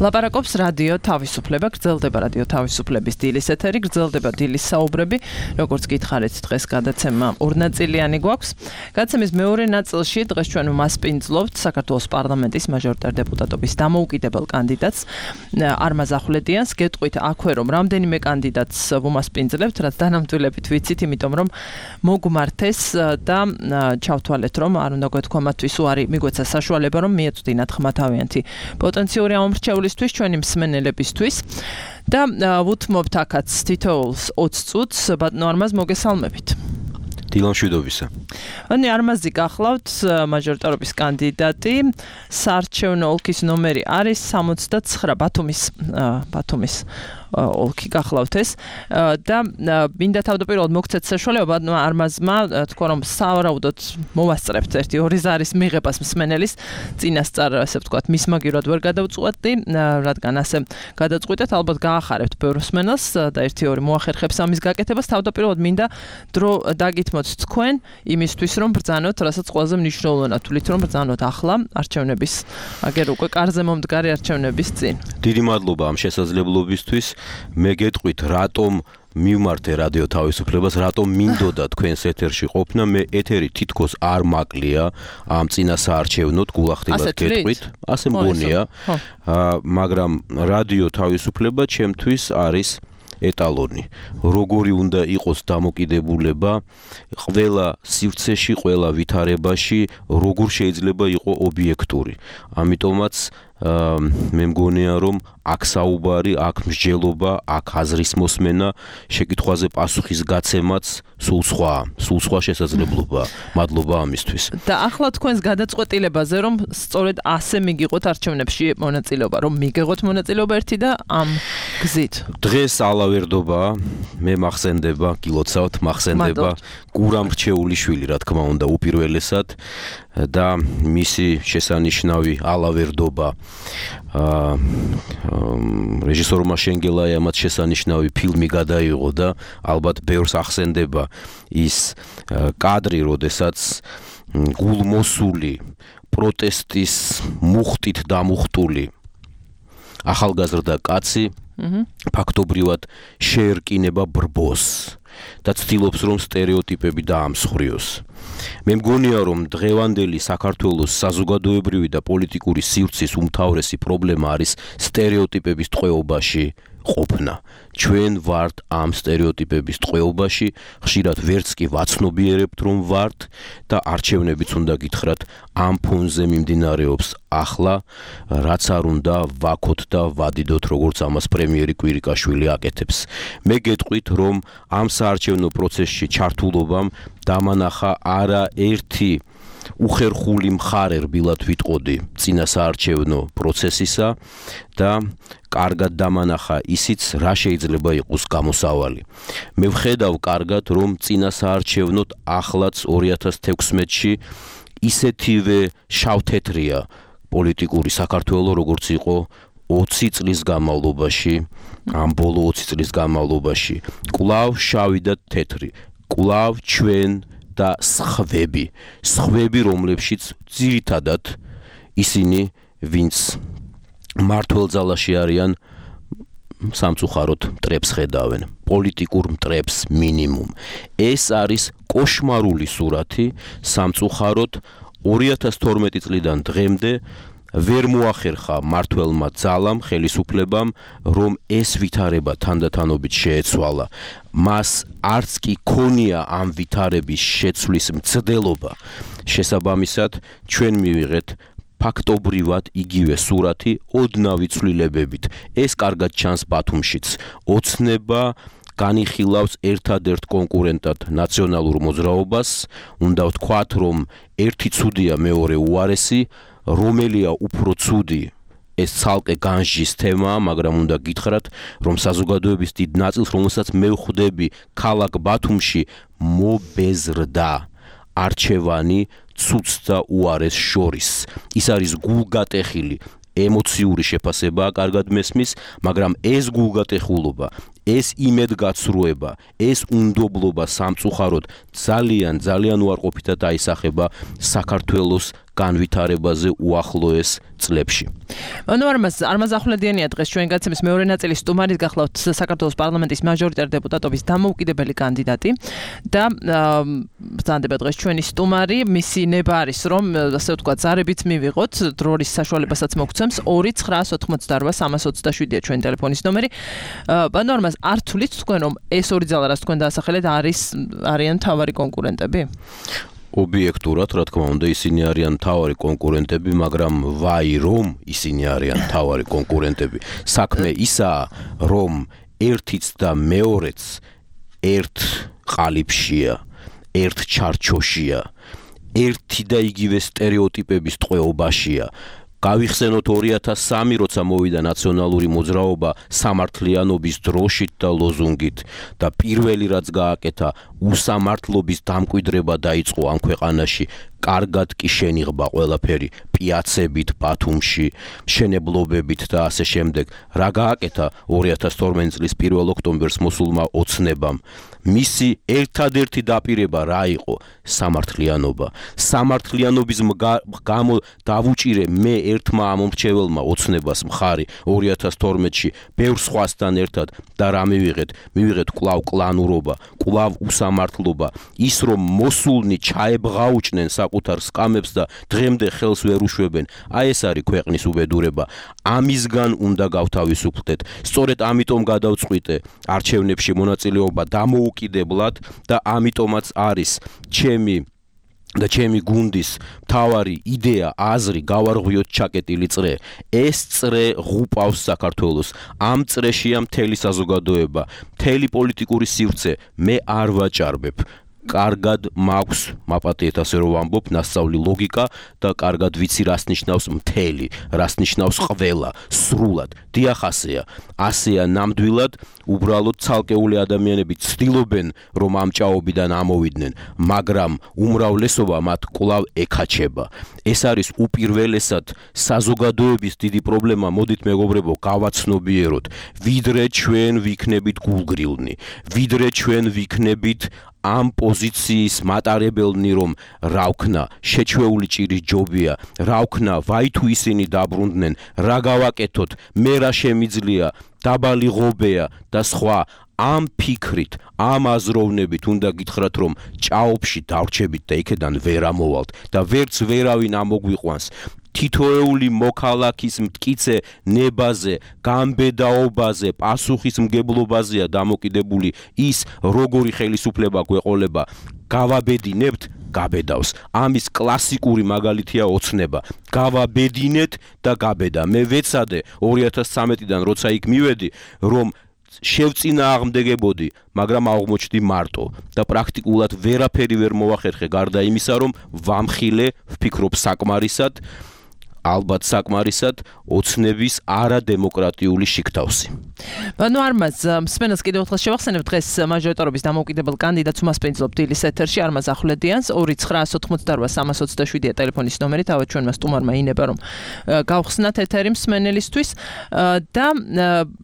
ლაპარაკობს რადიო თავისუფლება, გრძელდება რადიო თავისუფლების დილის ეთერი, გრძელდება დილის საუბრები, როგორც გითხარით, დღეს გადაცემა ორნაწილიანი გვაქვს. გადაცემის მეორე ნაწილში დღეს ჩვენ ვმასპინძლობთ საქართველოს პარლამენტის მაჟორიტარ დეპუტატობის დამოუკიდებელ კანდიდატს არმაზ ახვლედიანს. გეტყვით აქვე რომ რამდენიმე კანდიდატს ვუმასპინძლებთ, რაც დანამდვილებით ვიცით, იმიტომ რომ მოგმართეს და ჩავთვალეთ რომ არ უნდა გვეთქვა მათთვის უარი მიგვეცა საშუალება რომ მიეწვდინათ ხმათავიანთი პოტენციური ამორჩევლისთვის ჩვენი მსმენელებისთვის და ვუთმობთ აქაც თითოეულს ოცი წუთს ბატონო არმაზ მოგესალმებით. დილამშვიდობისა. ანუ არმაზი გახლავთ მაჟორიტარობის კანდიდატი, საარჩევნო ოლქის ნომერი არის სამოცდაცხრა ბათუმის ბათუმის ოლქი გახლავთ ეს და მინდა თავდაპირველად მოგცეთ საშუალება ბატონო არმაზმა თქვა რომ სავარაუდოდ მოვასწრებთ ერთი ორი ზარის მიღებას მსმენელის წინასწარ ასე ვთქვათ მისმაგირად ვერ გადავწყვეტდი რადგან ასე გადაწყვიტეთ ალბათ გაახარებთ ბევრ მსმენელს და ერთი ორი მოახერხებს ამის გაკეთებას თავდაპირველად მინდა დრო დაგითმოთ თქვენ იმისთვის რომ ბრძანოთ რასაც ყველაზე მნიშვნელოვანია თulit რომ ბრძანოთ ახლა არჩევნების აგერ უკვე კარზე მომდგარი არჩევნების წინ. დიდი მადლობა ამ შესაძლებლობისთვის. მე გეტყვით რატომ მივმართე რადიო თავისუფლებას, რატომ მინდოდა თქვენს ეთერში ყოფნა, მე ეთერი თითქოს არ მაკლია ამ წინა საარჩევნოდ გულახდილად გეტყვით, ასე მგონია, მაგრამ რადიო თავისუფლება ჩემთვის არის ეტალონი. როგორი უნდა იყოს დამოკიდებულება ყველა სივრცეში, ყველა ვითარებაში, როგორ შეიძლება იყო ობიექტური. ამიტომაც მე მგონია რომ აქ საუბარი, აქ მსჯელობა, აქ აზრის მოსმენა, შეკითხვაზე პასუხის გაცემაც სულ სხვა, სულ სხვა შესაძლებლობაა. მადლობა ამისთვის. და ახლა თქვენს გადაწყვეტილებაზე რომ სწორედ ასე მიგიღოთ არჩევნებში მონაწილეობა, რომ მიგიღოთ მონაწილეობა ერთი და ამ გზით. დღეს ალავერდობა, მე მახსენდება, გილოცავთ, მახსენდება გურამ რჩეულიშვილი, რა თქმა უნდა, უპირველესად და მისი შესანიშნავი ალავერდობა რეჟისორმა შენგელაიამაც შესანიშნავი ფილმი გადაიღო და ალბათ ბევრს ახსენდება ის კადრი, როდესაც გულმოსული პროტესტის მუხტით დამუხტული ახალგაზრდა კაცი ფაქტობრივად შეერკინება ბრბოს და ცდილობს რომ სტერეოტიპები დაამსხვრიოს. მე მგონია რომ დღევანდელი საქართველოს საზოგადოებრივი და პოლიტიკური სივრცის უმთავრესი პრობლემა არის სტერეოტიპების ტყვეობაში ყოფნა. ჩვენ ვართ ამ სტერეოტიპების ტყვეობაში, ხშირად ვერც კი ვაცნობიერებთ რომ ვართ და არჩევნებიც უნდა გითხრათ ამ ფონზე მიმდინარეობს ახლა, რაც არ უნდა ვაქოთ და ვადიდოთ როგორც ამას პრემიერი კვირიკაშვილი აკეთებს. მე გეტყვით რომ ამ საარჩევნო პროცესში ჩართულობამ დამანახა არა ერთი უხერხული მხარე რბილად ვიტყოდი წინა საარჩევნო პროცესისა და კარგად დამანახა ისიც რა შეიძლება იყოს გამოსავალი. მე ვხედავ კარგად რომ წინა საარჩევნოდ ახლაც ორი ათას თექვსმეტში ისეთივე შავთეთრია პოლიტიკური საქართველო როგორც იყო ოცი წლის განმავლობაში, ამ ბოლო ოცი წლის განმავლობაში. კვლავ შავი და თეთრი, კვლავ ჩვენ და სხვები, სხვები რომლებშიც ძირითადად ისინი ვინც მართლ ძალაში არიან სამწუხაროდ მტრებს ხედავენ, პოლიტიკურ მტრებს მინიმუმ. ეს არის კოშმარული სურათი სამწუხაროდ ორი ათას თორმეტი წლიდან დღემდე ვერ მოახერხა მართველმა ძალამ, ხელისუფლებამ, რომ ეს ვითარება თანდათანობით შეეცვალა. მას არც კი ქონია ამ ვითარების შეცვლის მცდელობა. შესაბამისად, ჩვენ მივიღეთ ფაქტობრივად იგივე სურათი ოდნავი ცვლილებებით. ეს კარგად ჩანს ბათუმშიც. ოცნება განიხილავს ერთადერთ კონკურენტად ნაციონალურ მოძრაობას. უნდა ვთქვათ, რომ ერთი ცუდია, მეორე უარესი, რომელია უფრო ცუდი, ეს ცალკე განსჯის თემაა, მაგრამ უნდა გითხრათ, რომ საზოგადოების დიდ ნაწილს, რომელსაც მე ვხვდები ქალაქ ბათუმში, მობეზრდა არჩევანი ცუდს და უარეს შორის. ის არის გულგატეხილი ემოციური შეფასებაა, კარგად მესმის, მაგრამ ეს გულგატეხულობა, ეს იმედგაცრუება, ეს უნდობლობა სამწუხაროდ ძალიან ძალიან უარყოფითად აისახება საქართველოს განვითარებაზე უახლოეს წლებში. ანუ არმაზ არმაზ ახვლედიანია დღეს ჩვენ გაცემის მეორე ნაწილის სტუმარით გახლავთ საქართველოს პარლამენტის მაჟორიტარ დეპუტატობის დამოუკიდებელი კანდიდატი და ბრძანდება დღეს ჩვენი სტუმარი მისი ნება არის რომ ასე ვთქვათ ზარებით მივიღოთ დროის საშუალებასაც მოგცემს ორი ცხრა ოთხმოცდაოთხ სამას ოცდაშვიდია ჩვენი ტელეფონის ნომერი. ანუ არმაზ არ თulit თქვენ რომ ეს ორი ძალა რაც თქვენ დაასახელეთ არის არიან თავარი კონკურენტები? ობიექტურად, რა თქმა უნდა, ისინი არიან თავარი კონკურენტები, მაგრამ ვაი რომ ისინი არიან თავარი კონკურენტები. საქმე ისაა, რომ ერთიც და მეორეც ერთ ყალიბშია, ერთ ჩარჩოშია, ერთი და იგივე სტერეოტიპების ტყვეობაშია. გავიხსენოთ ორი ათას სამი როცა მოვიდა ნაციონალური მოძრაობა სამართლიანობის დროშით და ლოზუნგით და პირველი რაც გააკეთა უსამართლობის დამკვიდრება დაიწყო ამ ქვეყანაში. კარგად კი შენიღბა ყველაფერი პიაცებით, ბათუმში, მშენებლობებით და ასე შემდეგ. რა გააკეთა ორი ათას თორმეტი წლის პირველ ოქტომბერს მოსულმა ოცნებამ? მისი ერთადერთი დაპირება რა იყო? სამართლიანობა. სამართლიანობის გამო დავუჭირე მე ერთმა ამომრჩეველმა ოცნებას მხარი ორი ათას თორმეტში ბევრ სხვასთან ერთად და რა მივიღეთ? მივიღეთ კვლავ კლანურობა, კვლავ უსამართლობა, ის რომ მოსულნი ჩაებღაუჭნენ საკუთარ სკამებს და დღემდე ხელს ვერ უშვებენ. აი ეს არის ქვეყნის უბედურება. ამისგან უნდა გავთავისუფლდეთ. სწორედ ამიტომ გადავწყვიტე არჩევნებში მონაწილეობა დამოუკიდებლად და ამიტომაც არის ჩემი და ჩემი გუნდის მთავარი იდეა, აზრი გავარღვიოთ ჩაკეტილი წრე. ეს წრე ღუპავს საქართველოს. ამ წრეშია მთელი საზოგადოება, მთელი პოლიტიკური სივრცე. მე არ ვაჭარბებ. კარგად მაქვს მაპატიეთ ასე რომ ვამბობ ნასწავლი ლოგიკა და კარგად ვიცი რას ნიშნავს მთელი, რას ნიშნავს ყველა, სრულად. დიახ ასეა. ასეა ნამდვილად, უბრალოდ ცალკეული ადამიანები ცდილობენ რომ ამ ჭაობიდან ამოვიდნენ, მაგრამ უმრავლესობა მათ კვლავ ეკაჩება. ეს არის უპირველესად საზოგადოების დიდი პრობლემა. მოდით მეგობრებო, გავაცნობიეროთ, ვიდრე ჩვენ ვიქნებით გულგრილნი, ვიდრე ჩვენ ვიქნებით ამ პოზიციის მატარებელნი რომ რა ვქნა, შეჩვეული ჭირის ჯობია, რა ვქნა, ვაი თუ ისინი დაბრუნდნენ, რა გავაკეთოთ, მე რა შემიძლია, დაბალი ღობეა და სხვა. ამ ფიქრით, ამ აზროვნებით უნდა გითხრათ რომ ჭაობში დავრჩებით და იქედან ვერ ამოვალთ და ვერც ვერავინ ამოგვიყვანს. თითოეული მოქალაქის მტკიცე ნებაზე, გამბედაობაზე, პასუხისმგებლობაზეა დამოკიდებული ის, როგორი ხელისუფლება გვეყოლება. გავაბედინებთ, გაბედავს. ამის კლასიკური მაგალითია ოცნება. გავაბედინეთ და გაბედა. მე ვეცადე ორი ათას ცხრამეტიდან როცა იქ მივედი, რომ შევწინააღმდეგებოდი, მაგრამ აღმოჩნდი მარტო და პრაქტიკულად ვერაფერი ვერ მოვახერხე გარდა იმისა, რომ ვამხილე, ვფიქრობ საკმარისად, ალბათ საკმარისად ოცნების არადემოკრატიული შიგთავსი. ანუ არმაზ მსმენელს კიდევ ერთხელ შევახსენებ დღეს მაჟორიტარობის დამოუკიდებელ კანდიდატს უმასპინძლობ დილის ეთერში არმაზ ახვლედიანს ორი ცხრა ოთხმოცდაოთხ სამას ოცდაშვიდია ტელეფონის ნომერი, თავად ჩვენმა სტუმარმა ინება რომ გავხსნათ ეთერი მსმენელისთვის და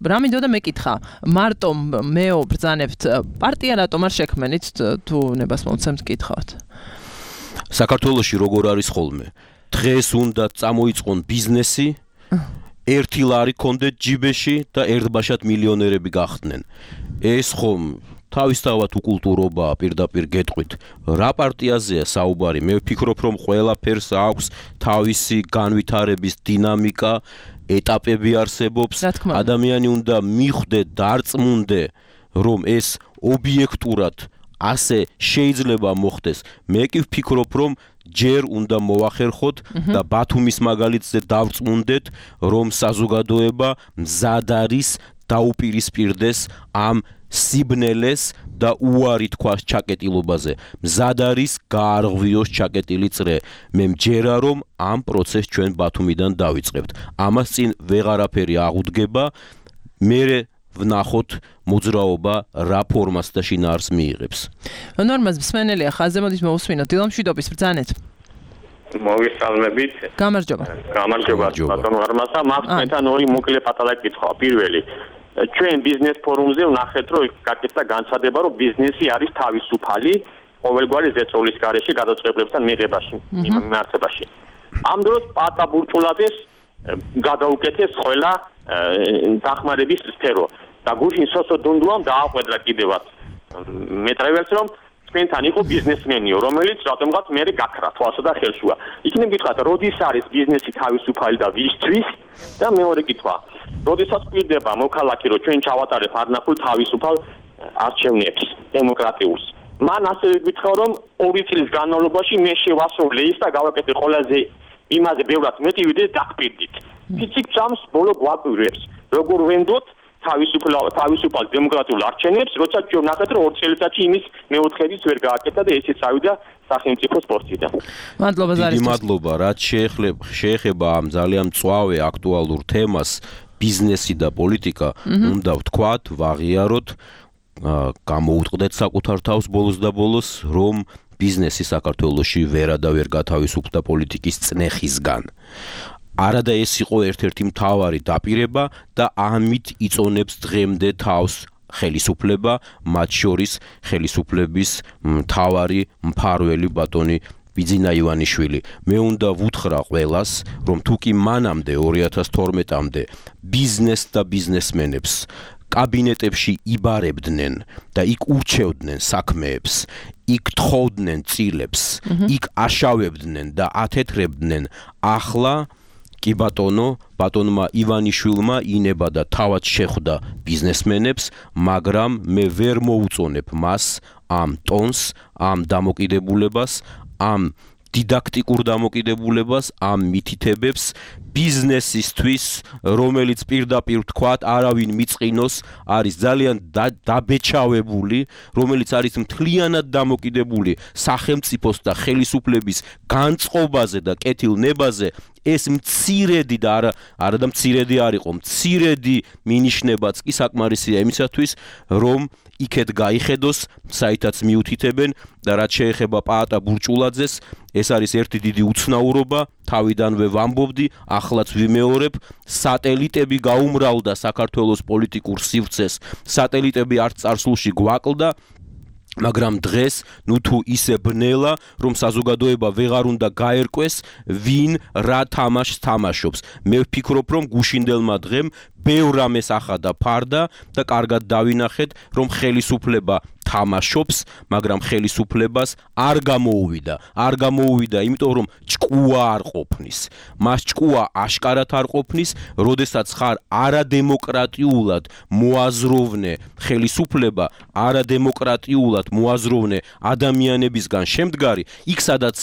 რა მინდოდა მეკითხა, მარტო მეო ბრძანებთ პარტია რატომ არ შექმნით თუ ნებას მომცემთ კითხავთ? საქართველოში როგორ არის ხოლმე? დღეს უნდა წამოიწყონ ბიზნესი, ერთი ლარი კონდეთ ჯიბეში და ერთბაშად მილიონერები გახდნენ. ეს ხომ თავისთავად უკულტურობაა, პირდაპირ გეტყვით. რა პარტიაზეა საუბარი? მე ვფიქრობ, რომ ყველაფერს აქვს თავისი განვითარების დინამიკა, ეტაპები არსებობს. ადამიანი უნდა მიხვდე, დარწმუნდე, რომ ეს ობიექტურად ასე შეიძლება მოხდეს. მე კი ვფიქრობ, რომ ჯერ უნდა მოვახერხოთ და ბათუმის მაგალითზე დავწმუნდეთ, რომ საზოგადოება მზად არის დაუპირისპირდეს ამ სიბნელეს და უარი თქვას ჩაკეტილობაზე. მზად არის გაარღვიოს ჩაკეტილი წრე. მე მჯერა რომ ამ პროცესს ჩვენ ბათუმიდან დავიწყებთ. ამას წინ ვეღარაფერი აღუდგება. მე ვნახოთ მოძრაობა რა ფორმას და შინაარს მიიღებს. ნორმას მსმენელია ხაზზე, მოდით მოვუსმინოთ. დილამშვიდობის ბრძანეთ. მოგესალმებით. გამარჯობა. გამარჯობა. ბატონო არმაზა, მაქვს მეთან ორი მოკლე პატარა კითხვა. პირველი, ჩვენ ბიზნეს ფორუმზე ვნახეთ, რომ გაკეთდა განცხადება, რომ ბიზნესი არის თავისუფალი ყოველგვარი ზეწოლის გარეშე გადაწყვეტილებებთან მიღებაში, მიმართებაში. ამ დროს პატა ბურჭულაძეს გადაუკეთეს ყველა დახმარების სფერო და გუშინ სოსო დუნდუამ დააყვედრა კიდევაც მეტრეველს რომ თქვენთან იყო ბიზნესმენიო რომელიც რატომღაც მე გაქრა თვალსა და ხელშუა იქნებ გითხრათ როდის არის ბიზნესი თავისუფალი და ვისთვის და მეორე კითხვა როდესაც გვირდება მოქალაქე რომ ჩვენ ჩავატარებ არნახულ თავისუფალ არჩევნებს დემოკრატიულს მან ასევე გითხრა რომ ორი წლის განმავლობაში მე შევასრულე ის და გავაკეთე ყველაზე იმაზე ბევრად მეტი ვიდრე დაგპირდით ფიციკ წამს ბოლო გვაკვირვებს როგორ ვენდოთ თავისუფალ თავისუფალ დემოკრატიულ არჩევნებს როცა ჩვენ ნახეთ რომ ორ წელიწადში იმის მეოთხედის ვერ გააკეთა და ესეც ავიდა სახელმწიფოს პოსტიდან მადლობა ზარის მადლობა რაც შეეხება შეეხება ამ ძალიან მწვავე აქტუალურ თემას ბიზნესი და პოლიტიკა უნდა ვთქვათ ვაღიაროთ გამოუტყდეთ საკუთარ თავს ბოლოს და ბოლოს რომ ბიზნესი საქართველოში ვერადავერ გათავისუფლდა პოლიტიკის წნეხისგან არადა ეს იყო ერთ-ერთი მთავარი დაპირება და ამით იწონებს დღემდე თავს ხელისუფლება მათ შორის ხელისუფლების მთავარი მფარველი ბატონი ბიძინა ივანიშვილი მე უნდა ვუთხრა ყველას რომ თუ კი მანამდე ორი ათას თორმეტამდე ბიზნეს და ბიზნესმენებს კაბინეტებში იბარებდნენ და იქ ურჩევდნენ საქმეებს იქ თხოვდნენ წილებს იქ აშავებდნენ და ათეთრებდნენ ახლა კი ბატონო, ბატონმა ივანიშვილმა ინება და თავად შეხვდა ბიზნესმენებს, მაგრამ მე ვერ მოუწონებ მას ამ ტონს, ამ დამოკიდებულებას, ამ დიდაქტიკურ დამოკიდებულებას, ამ მითითებებს ბიზნესისთვის, რომელიც პირდაპირ ვთქვათ, არავინ მიწყინოს, არის ძალიან დაბეჭავებული, რომელიც არის მთლიანად დამოკიდებული სახელმწიფოს და ხელისუფლების განწყობაზე და კეთილნებაზე, ეს მცირედი და არა არა და მცირედი არ იყო, მცირედი მინიშნებაც კი საკმარისია იმისათვის, რომ იქეთ გაიხედოს, საითაც მიუთითებენ და რაც შეეხება პაატა ბურჭულაძეს, ეს არის ერთი დიდი უცნაურობა, თავიდანვე ვამბობდი, ახლაც ვიმეორებ, სატელიტები გაუმრავლდა საქართველოს პოლიტიკურ სივრცეს, სატელიტები არც წარსულში გვაკლდა, მაგრამ დღეს ნუ თუ ისე ბნელა, რომ საზოგადოება ვეღარ უნდა გაერკვეს, ვინ რა თამაშს თამაშობს. მე ვფიქრობ, რომ გუშინდელმა დღემ ბევრ რამეს ახადა ფარდა და კარგად დავინახეთ, რომ ხელისუფლება თამაშობს, მაგრამ ხელისუფლებას არ გამოუვიდა. არ გამოუვიდა, იმიტომ რომ ჭკუა არ ყოფნის. მას ჭკუა აშკარად არ ყოფნის, როდესაც ხარ არადემოკრატიულად მოაზროვნე ხელისუფლება, არადემოკრატიულად მოაზროვნე ადამიანებისგან შემდგარი, იქ სადაც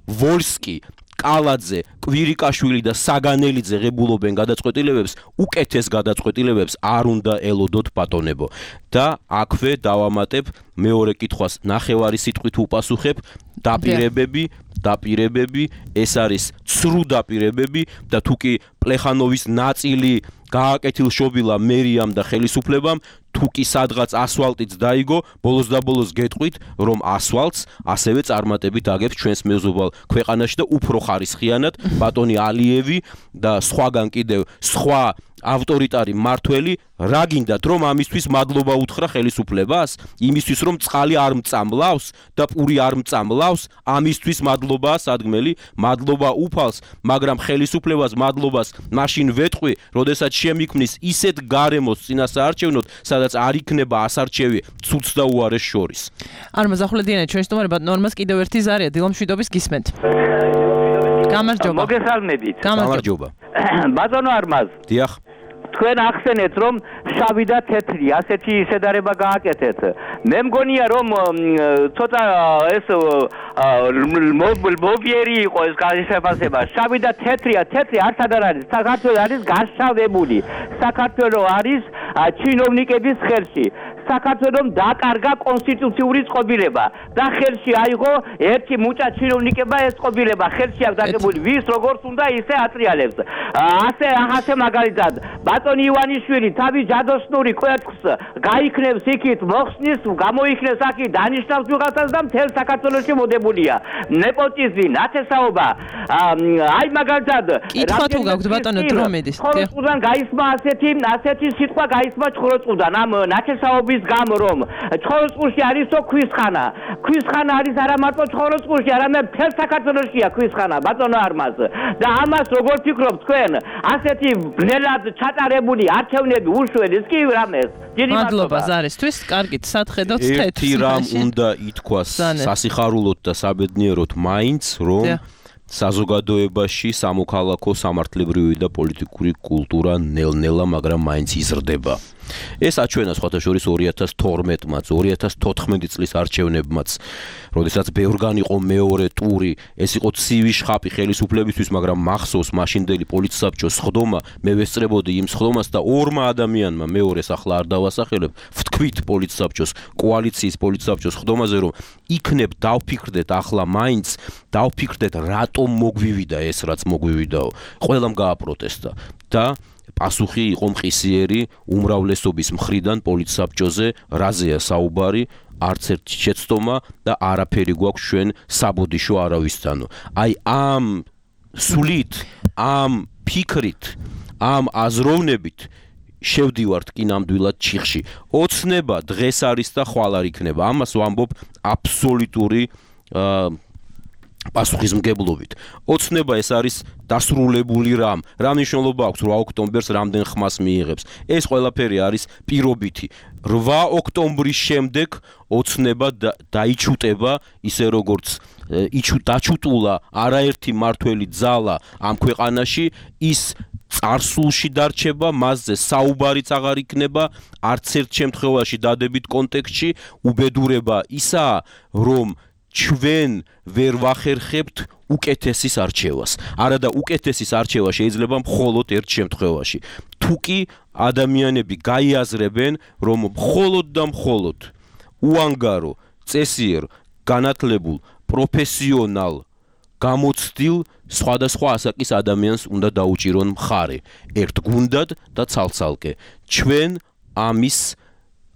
ვოლსკი კალაძე, კვირიკაშვილი და საგანელიძე ღებულობენ გადაწყვეტილებებს, უკეთეს გადაწყვეტილებებს არ უნდა ელოდოთ ბატონებო. და აქვე დავამატებ მეორე კითხვას ნახევარი სიტყვით უპასუხებ, დაპირებები, დაპირებები, ეს არის ცრუ დაპირებები და თუკი პლეხანოვის ნაწილი გააკეთილშობილა მერიამ და ხელისუფლებამ, თუკი სადღაც ასვალტიც დაიგო, ბოლოს და ბოლოს გეტყვით, რომ ასვალტს ასევე წარმატებით აგებს ჩვენს მეზობალ ქვეყანაში და უფრო ხარისხიანად ბატონი ალიევი და სხვაგან კიდევ სხვა ავტორიტარი მართველი რა გინდათ რომ ამისთვის მადლობა უთხრა ხელისუფლებას იმისთვის რომ წყალი არ მწამლავს და პური არ მწამლავს ამისთვის მადლობაა სადგმელი მადლობა უფალს მაგრამ ხელისუფლებას მადლობას მაშინ ვეტყვი როდესაც შემიქმნის ისეთ გარემოს წინასაარჩევნოდ სადაც არ იქნება ასარჩევი ცუდს და უარეს შორის არ მოზახულედიანეთ ჩვენ სტუმარებად ნორმას კიდევ ერთი ზარია დილომშვიდობის გისმენთ გამარჯობა მოგესალმებით გამარჯობა ბატონო არმაზ დიახ თქვენ ახსენეთ რომ შავი და თეთრი ასეთი შედარება გააკეთეთ მე მგონია რომ ცოტა ეს მობიერი იყო ეს განსხვავება შავი და თეთრია თეთრი არც არ არის საქართველოს არის გაშავებული საქართველოს არის ჩინოვნიკების ხელში საქართველოს დაკარგა კონსტიტუციური წყობილება და ხელში აიღო ერთი მუჭა ჩინოვნიკება ეს წყობილება ხელში აქვს დაგებული ვის როგორც უნდა ისე ატრიალებს ასე ახასე მაგალითად ბატონი ივანიშვილი თავის ჯადოსნური კვერცხს გაიქნევს იქით მოხსნის გამოიქნეს აქ დანიშნავს ვიღაცას და მთელ საქართველოში მოდებულია ნეპოტიზმი ნათესაობა აი მაგალითად კითხვა თუ გაქვთ ბატონო დრო მედის ხოროწყუდან გაისმა ასეთი ასეთი სიტყვა გაისმა ხოროწყუდან ამ ნათესაობის იმის გამო რომ ჩხოროწყურში არისო ქვისხანა ქვისხანა არის არა მარტო ჩხოროწყურში არამედ მთელ საქართველოშია ქვისხანა ბატონო არმაზ და ამას როგორ ფიქრობთ თქვენ ასეთი ბნელად ჩატარებული არჩევნები უშველის კი რამეს მადლობა ზარისთვის კარგით სათხედოთ თეთრს ერთი რამ უნდა ითქვას სასიხარულოდ და საბედნიეროდ მაინც რომ საზოგადოებაში სამოქალაქო სამართლებრივი და პოლიტიკური კულტურა ნელ-ნელა მაგრამ მაინც იზრდება ეს აჩვენა სხვათა შორის ორი ათას თორმეტმაც ორი ათას თოთხმეტი წლის არჩევნებმაც როდესაც ბევრგან იყო მეორე ტური ეს იყო ცივი შხაპი ხელისუფლებისთვის მაგრამ მახსოვს მაშინდელი პოლიცსაბჭოს სხდომა მე ვესწრებოდი იმ სხდომას და ორმა ადამიანმა მეორეს ახლა არ დავასახელებ ვთქვით პოლიცსაბჭოს კოალიციის პოლიცსაბჭოს სხდომაზე რომ იქნებ დავფიქრდეთ ახლა მაინც დავფიქრდეთ რატომ მოგვივიდა ეს რაც მოგვივიდაო ყველამ გააპროტესტა და პასუხი იყო მყისიერი უმრავლესობის მხრიდან პოლიცსაბჭოზე რაზეა საუბარი არც ერთი შეცდომა და არაფერი გვაქვს ჩვენ საბოდიშო არავისთანო აი ამ სულით ამ ფიქრით ამ აზროვნებით შევდივართ კი ნამდვილად ჩიხში ოცნება დღეს არის და ხვალ არ იქნება ამას ვამბობ აბსოლუტური პასუხისმგებლობით. ოცნება ეს არის დასრულებული რამ. რა მნიშვნელობა აქვს რვა ოქტომბერს რამდენ ხმას მიიღებს. ეს ყველაფერი არის პირობითი. რვა ოქტომბრის შემდეგ ოცნება დაიჩუტება ისე როგორც დაჩუტულა არაერთი მართველი ძალა ამ ქვეყანაში ის წარსულში დარჩება, მასზე საუბარიც აღარ იქნება, არც ერთ შემთხვევაში დადებით კონტექსტში უბედურება ისაა, რომ ჩვენ ვერ ვახერხებთ უკეთესის არჩევას. არადა უკეთესის არჩევა შეიძლება მხოლოდ ერთ შემთხვევაში. თუ კი ადამიანები გაიაზრებენ, რომ მხოლოდ და მხოლოდ უანგარო, წესიერ, განათლებულ, პროფესიონალ, გამოცდილ სხვადასხვა ასაკის ადამიანს უნდა დაუჭირონ მხარე. ერთ გუნდად და ცალ-ცალკე. ჩვენ ამის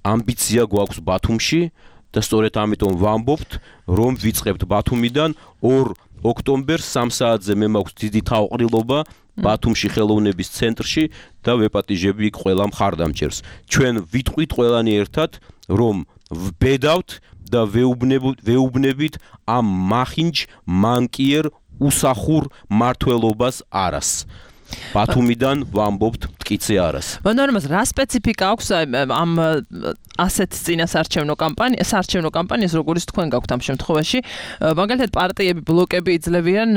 ამბიცია გვაქვს ბათუმში და სწორედ ამიტომ ვამბობთ, რომ ვიწყებთ ბათუმიდან ორ ოქტომბერს სამ საათზე მე მაქვს დიდი თავყრილობა ბათუმში ხელოვნების ცენტრში და ვეპატიჟები იქ ყველა მხარდამჭერს. ჩვენ ვიტყვით ყველანი ერთად, რომ ვბედავთ და ვეუბნებით ამ მახინჯ მანკიერ უსახურ მართლობას არას. ბათუმიდან ვამბობთ მტკიცე არას. ბანორმას რა სპეციფიკა აქვს ამ ასეთ წინასარჩევნო კამპანიას, საარჩევნო კამპანიას, როგორც თქვენ გაქვთ ამ შემთხვევაში, მაგალითად პარტიები, ბლოკები იძლევიან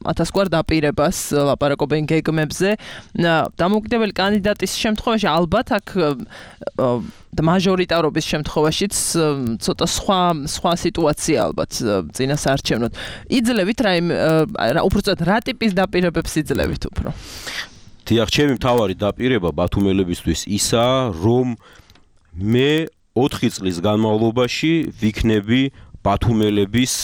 ათასგვარ დაპირებას, ლაპარაკობენ გეგმებზე. დამოუკიდებელი კანდიდატის შემთხვევაში ალბათ აქ და მაჟორიტარობის შემთხვევაშიც ცოტა სხვა სხვა სიტუაცია ალბათ წინასარჩევნოდ. იძლევით რა უბრალოდ რა ტიპის დაპირებებს იძლევით უფრო? დიახ, ჩემი მთავარი დაპირება ბათუმელებისთვის ისაა, რომ მე ოთხი წლის განმავლობაში ვიქნები ბათუმელების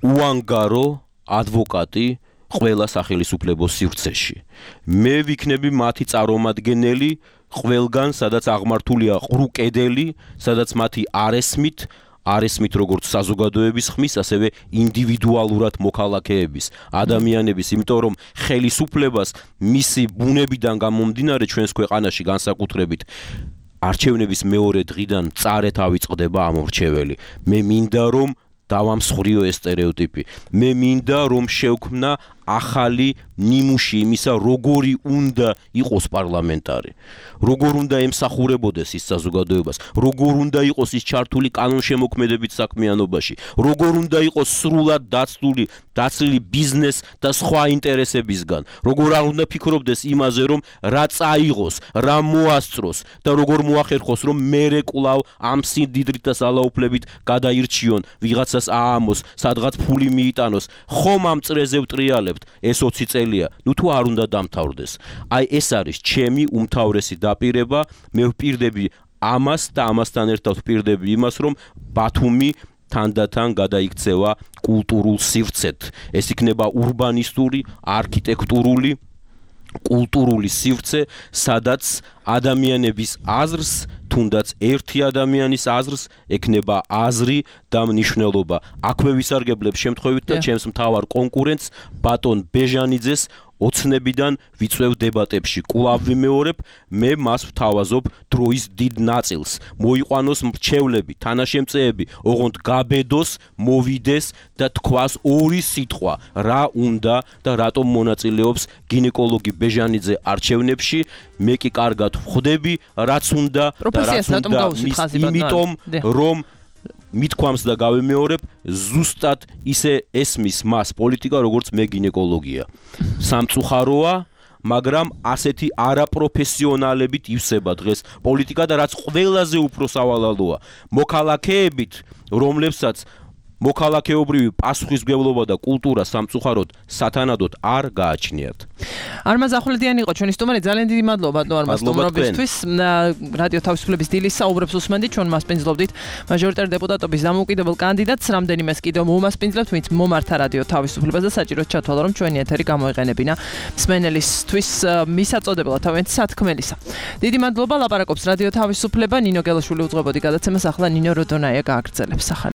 უანგარო ადვოკატი ყველა სახელისუფლებო სივრცეში. მე ვიქნები მათი წარმომადგენელი ყველგან, სადაც აღმართულია ყრუ კედელი, სადაც მათი არესმით არესმით როგორც საზოგადოების ხმის, ასევე ინდივიდუალურად მოქალაქეების, ადამიანების, იმიტომ რომ ხელისუფლებას მისი ბუნებიდან გამომდინარე ჩვენს ქვეყანაში განსაკუთრებით არჩევნების მეორე დღიდან მწარედ ავიწყდება ამორჩეველი. მე მინდა რომ დავამსხვრიო ეს სტერეოტიპი. მე მინდა რომ შევქმნა ახალი ნიმუში იმისა, როგორი უნდა იყოს პარლამენტარი. როგორ უნდა ემსახურებოდეს ის საზოგადოებას, როგორ უნდა იყოს ის ჩართული კანონშემოქმედებით საქმიანობაში, როგორ უნდა იყოს სრულად დაცული, დაცლილი ბიზნეს და სხვა ინტერესებისგან, როგორ არ უნდა ფიქრობდეს იმაზე, რომ რა წაიღოს, რა მოასწროს და როგორ მოახერხოს, რომ მერე კვლავ ამ სიმდიდრით და ძალაუფლებით გადაირჩიონ, ვიღაცას აამოს, სადღაც ფული მიიტანოს, ხომ ამ წრეზე ვტრიალებთ, ეს ოცი წელია, ნუ თუ არ უნდა დამთავრდეს. აი ეს არის ჩემი უმთავრესი დაპირება, მე ვპირდები ამას და ამასთან ერთად ვპირდები იმას, რომ ბათუმი თანდათან გადაიქცევა კულტურულ სივრცეთ. ეს იქნება ურბანისტური, არქიტექტურული, კულტურული სივრცე, სადაც ადამიანების აზრს თუნდაც ერთი ადამიანის აზრს ექნება აზრი და მნიშვნელობა. აქვე ვისარგებლებ შემთხვევით და ჩემს მთავარ კონკურენტს ბატონ ბეჟანიძეს ოცნებიდან ვიწვევ დებატებში. კვლავ ვიმეორებ, მე მას ვთავაზობ დროის დიდ ნაწილს. მოიყვანოს მრჩევლები, თანაშემწეები, ოღონდ გაბედოს, მოვიდეს და თქვას ორი სიტყვა, რა უნდა და რატომ მონაწილეობს გინეკოლოგი ბეჟანიძე არჩევნებში. მე კი კარგად ვხვდები, რაც უნდა და რაც უნდა, იმიტომ რომ მithქვამს და გავიმეორებ, ზუსტად ისე ესმის მას პოლიტიკა, როგორც მე გინეკოლოგია. სამწუხაროა, მაგრამ ასეთი არაპროფესიონალებით ივსება დღეს პოლიტიკა და რაც ყველაზე უფრო სავალალოა, მოქალაქეებით, რომლებსაც მოქალაქეობრივი პასუხისმგებლობა და კულტურა სამწუხაროდ სათანადოდ არ გააჩნიათ. არმაზ ახვლედიანი იყო ჩვენი სტუმარი, ძალიან დიდი მადლობა ბატონო არმაზ სტუმრობისთვის. რადიო თავისუფლების დილის საუბრებს უსმენდით, ჩვენ მასპინძლობდით მაჟორიტარ დეპუტატობის დამოუკიდებელ კანდიდატს, რამდენიმეს კიდევ მომასპინძლებთ, ვინც მომართა რადიო თავისუფლებას და საჭიროდ ჩათვალა, რომ ჩვენი ეთერი გამოეყენებინა მსმენელისთვის მისაწოდებლად თავიანთი სათქმელისა. დიდი მადლობა, ლაპარაკობს რადიო თავისუფლება, ნინო გელაშვილი უძღვებოდი გადაცემას, ახლა ნინო როდონაია გააგრძელებს.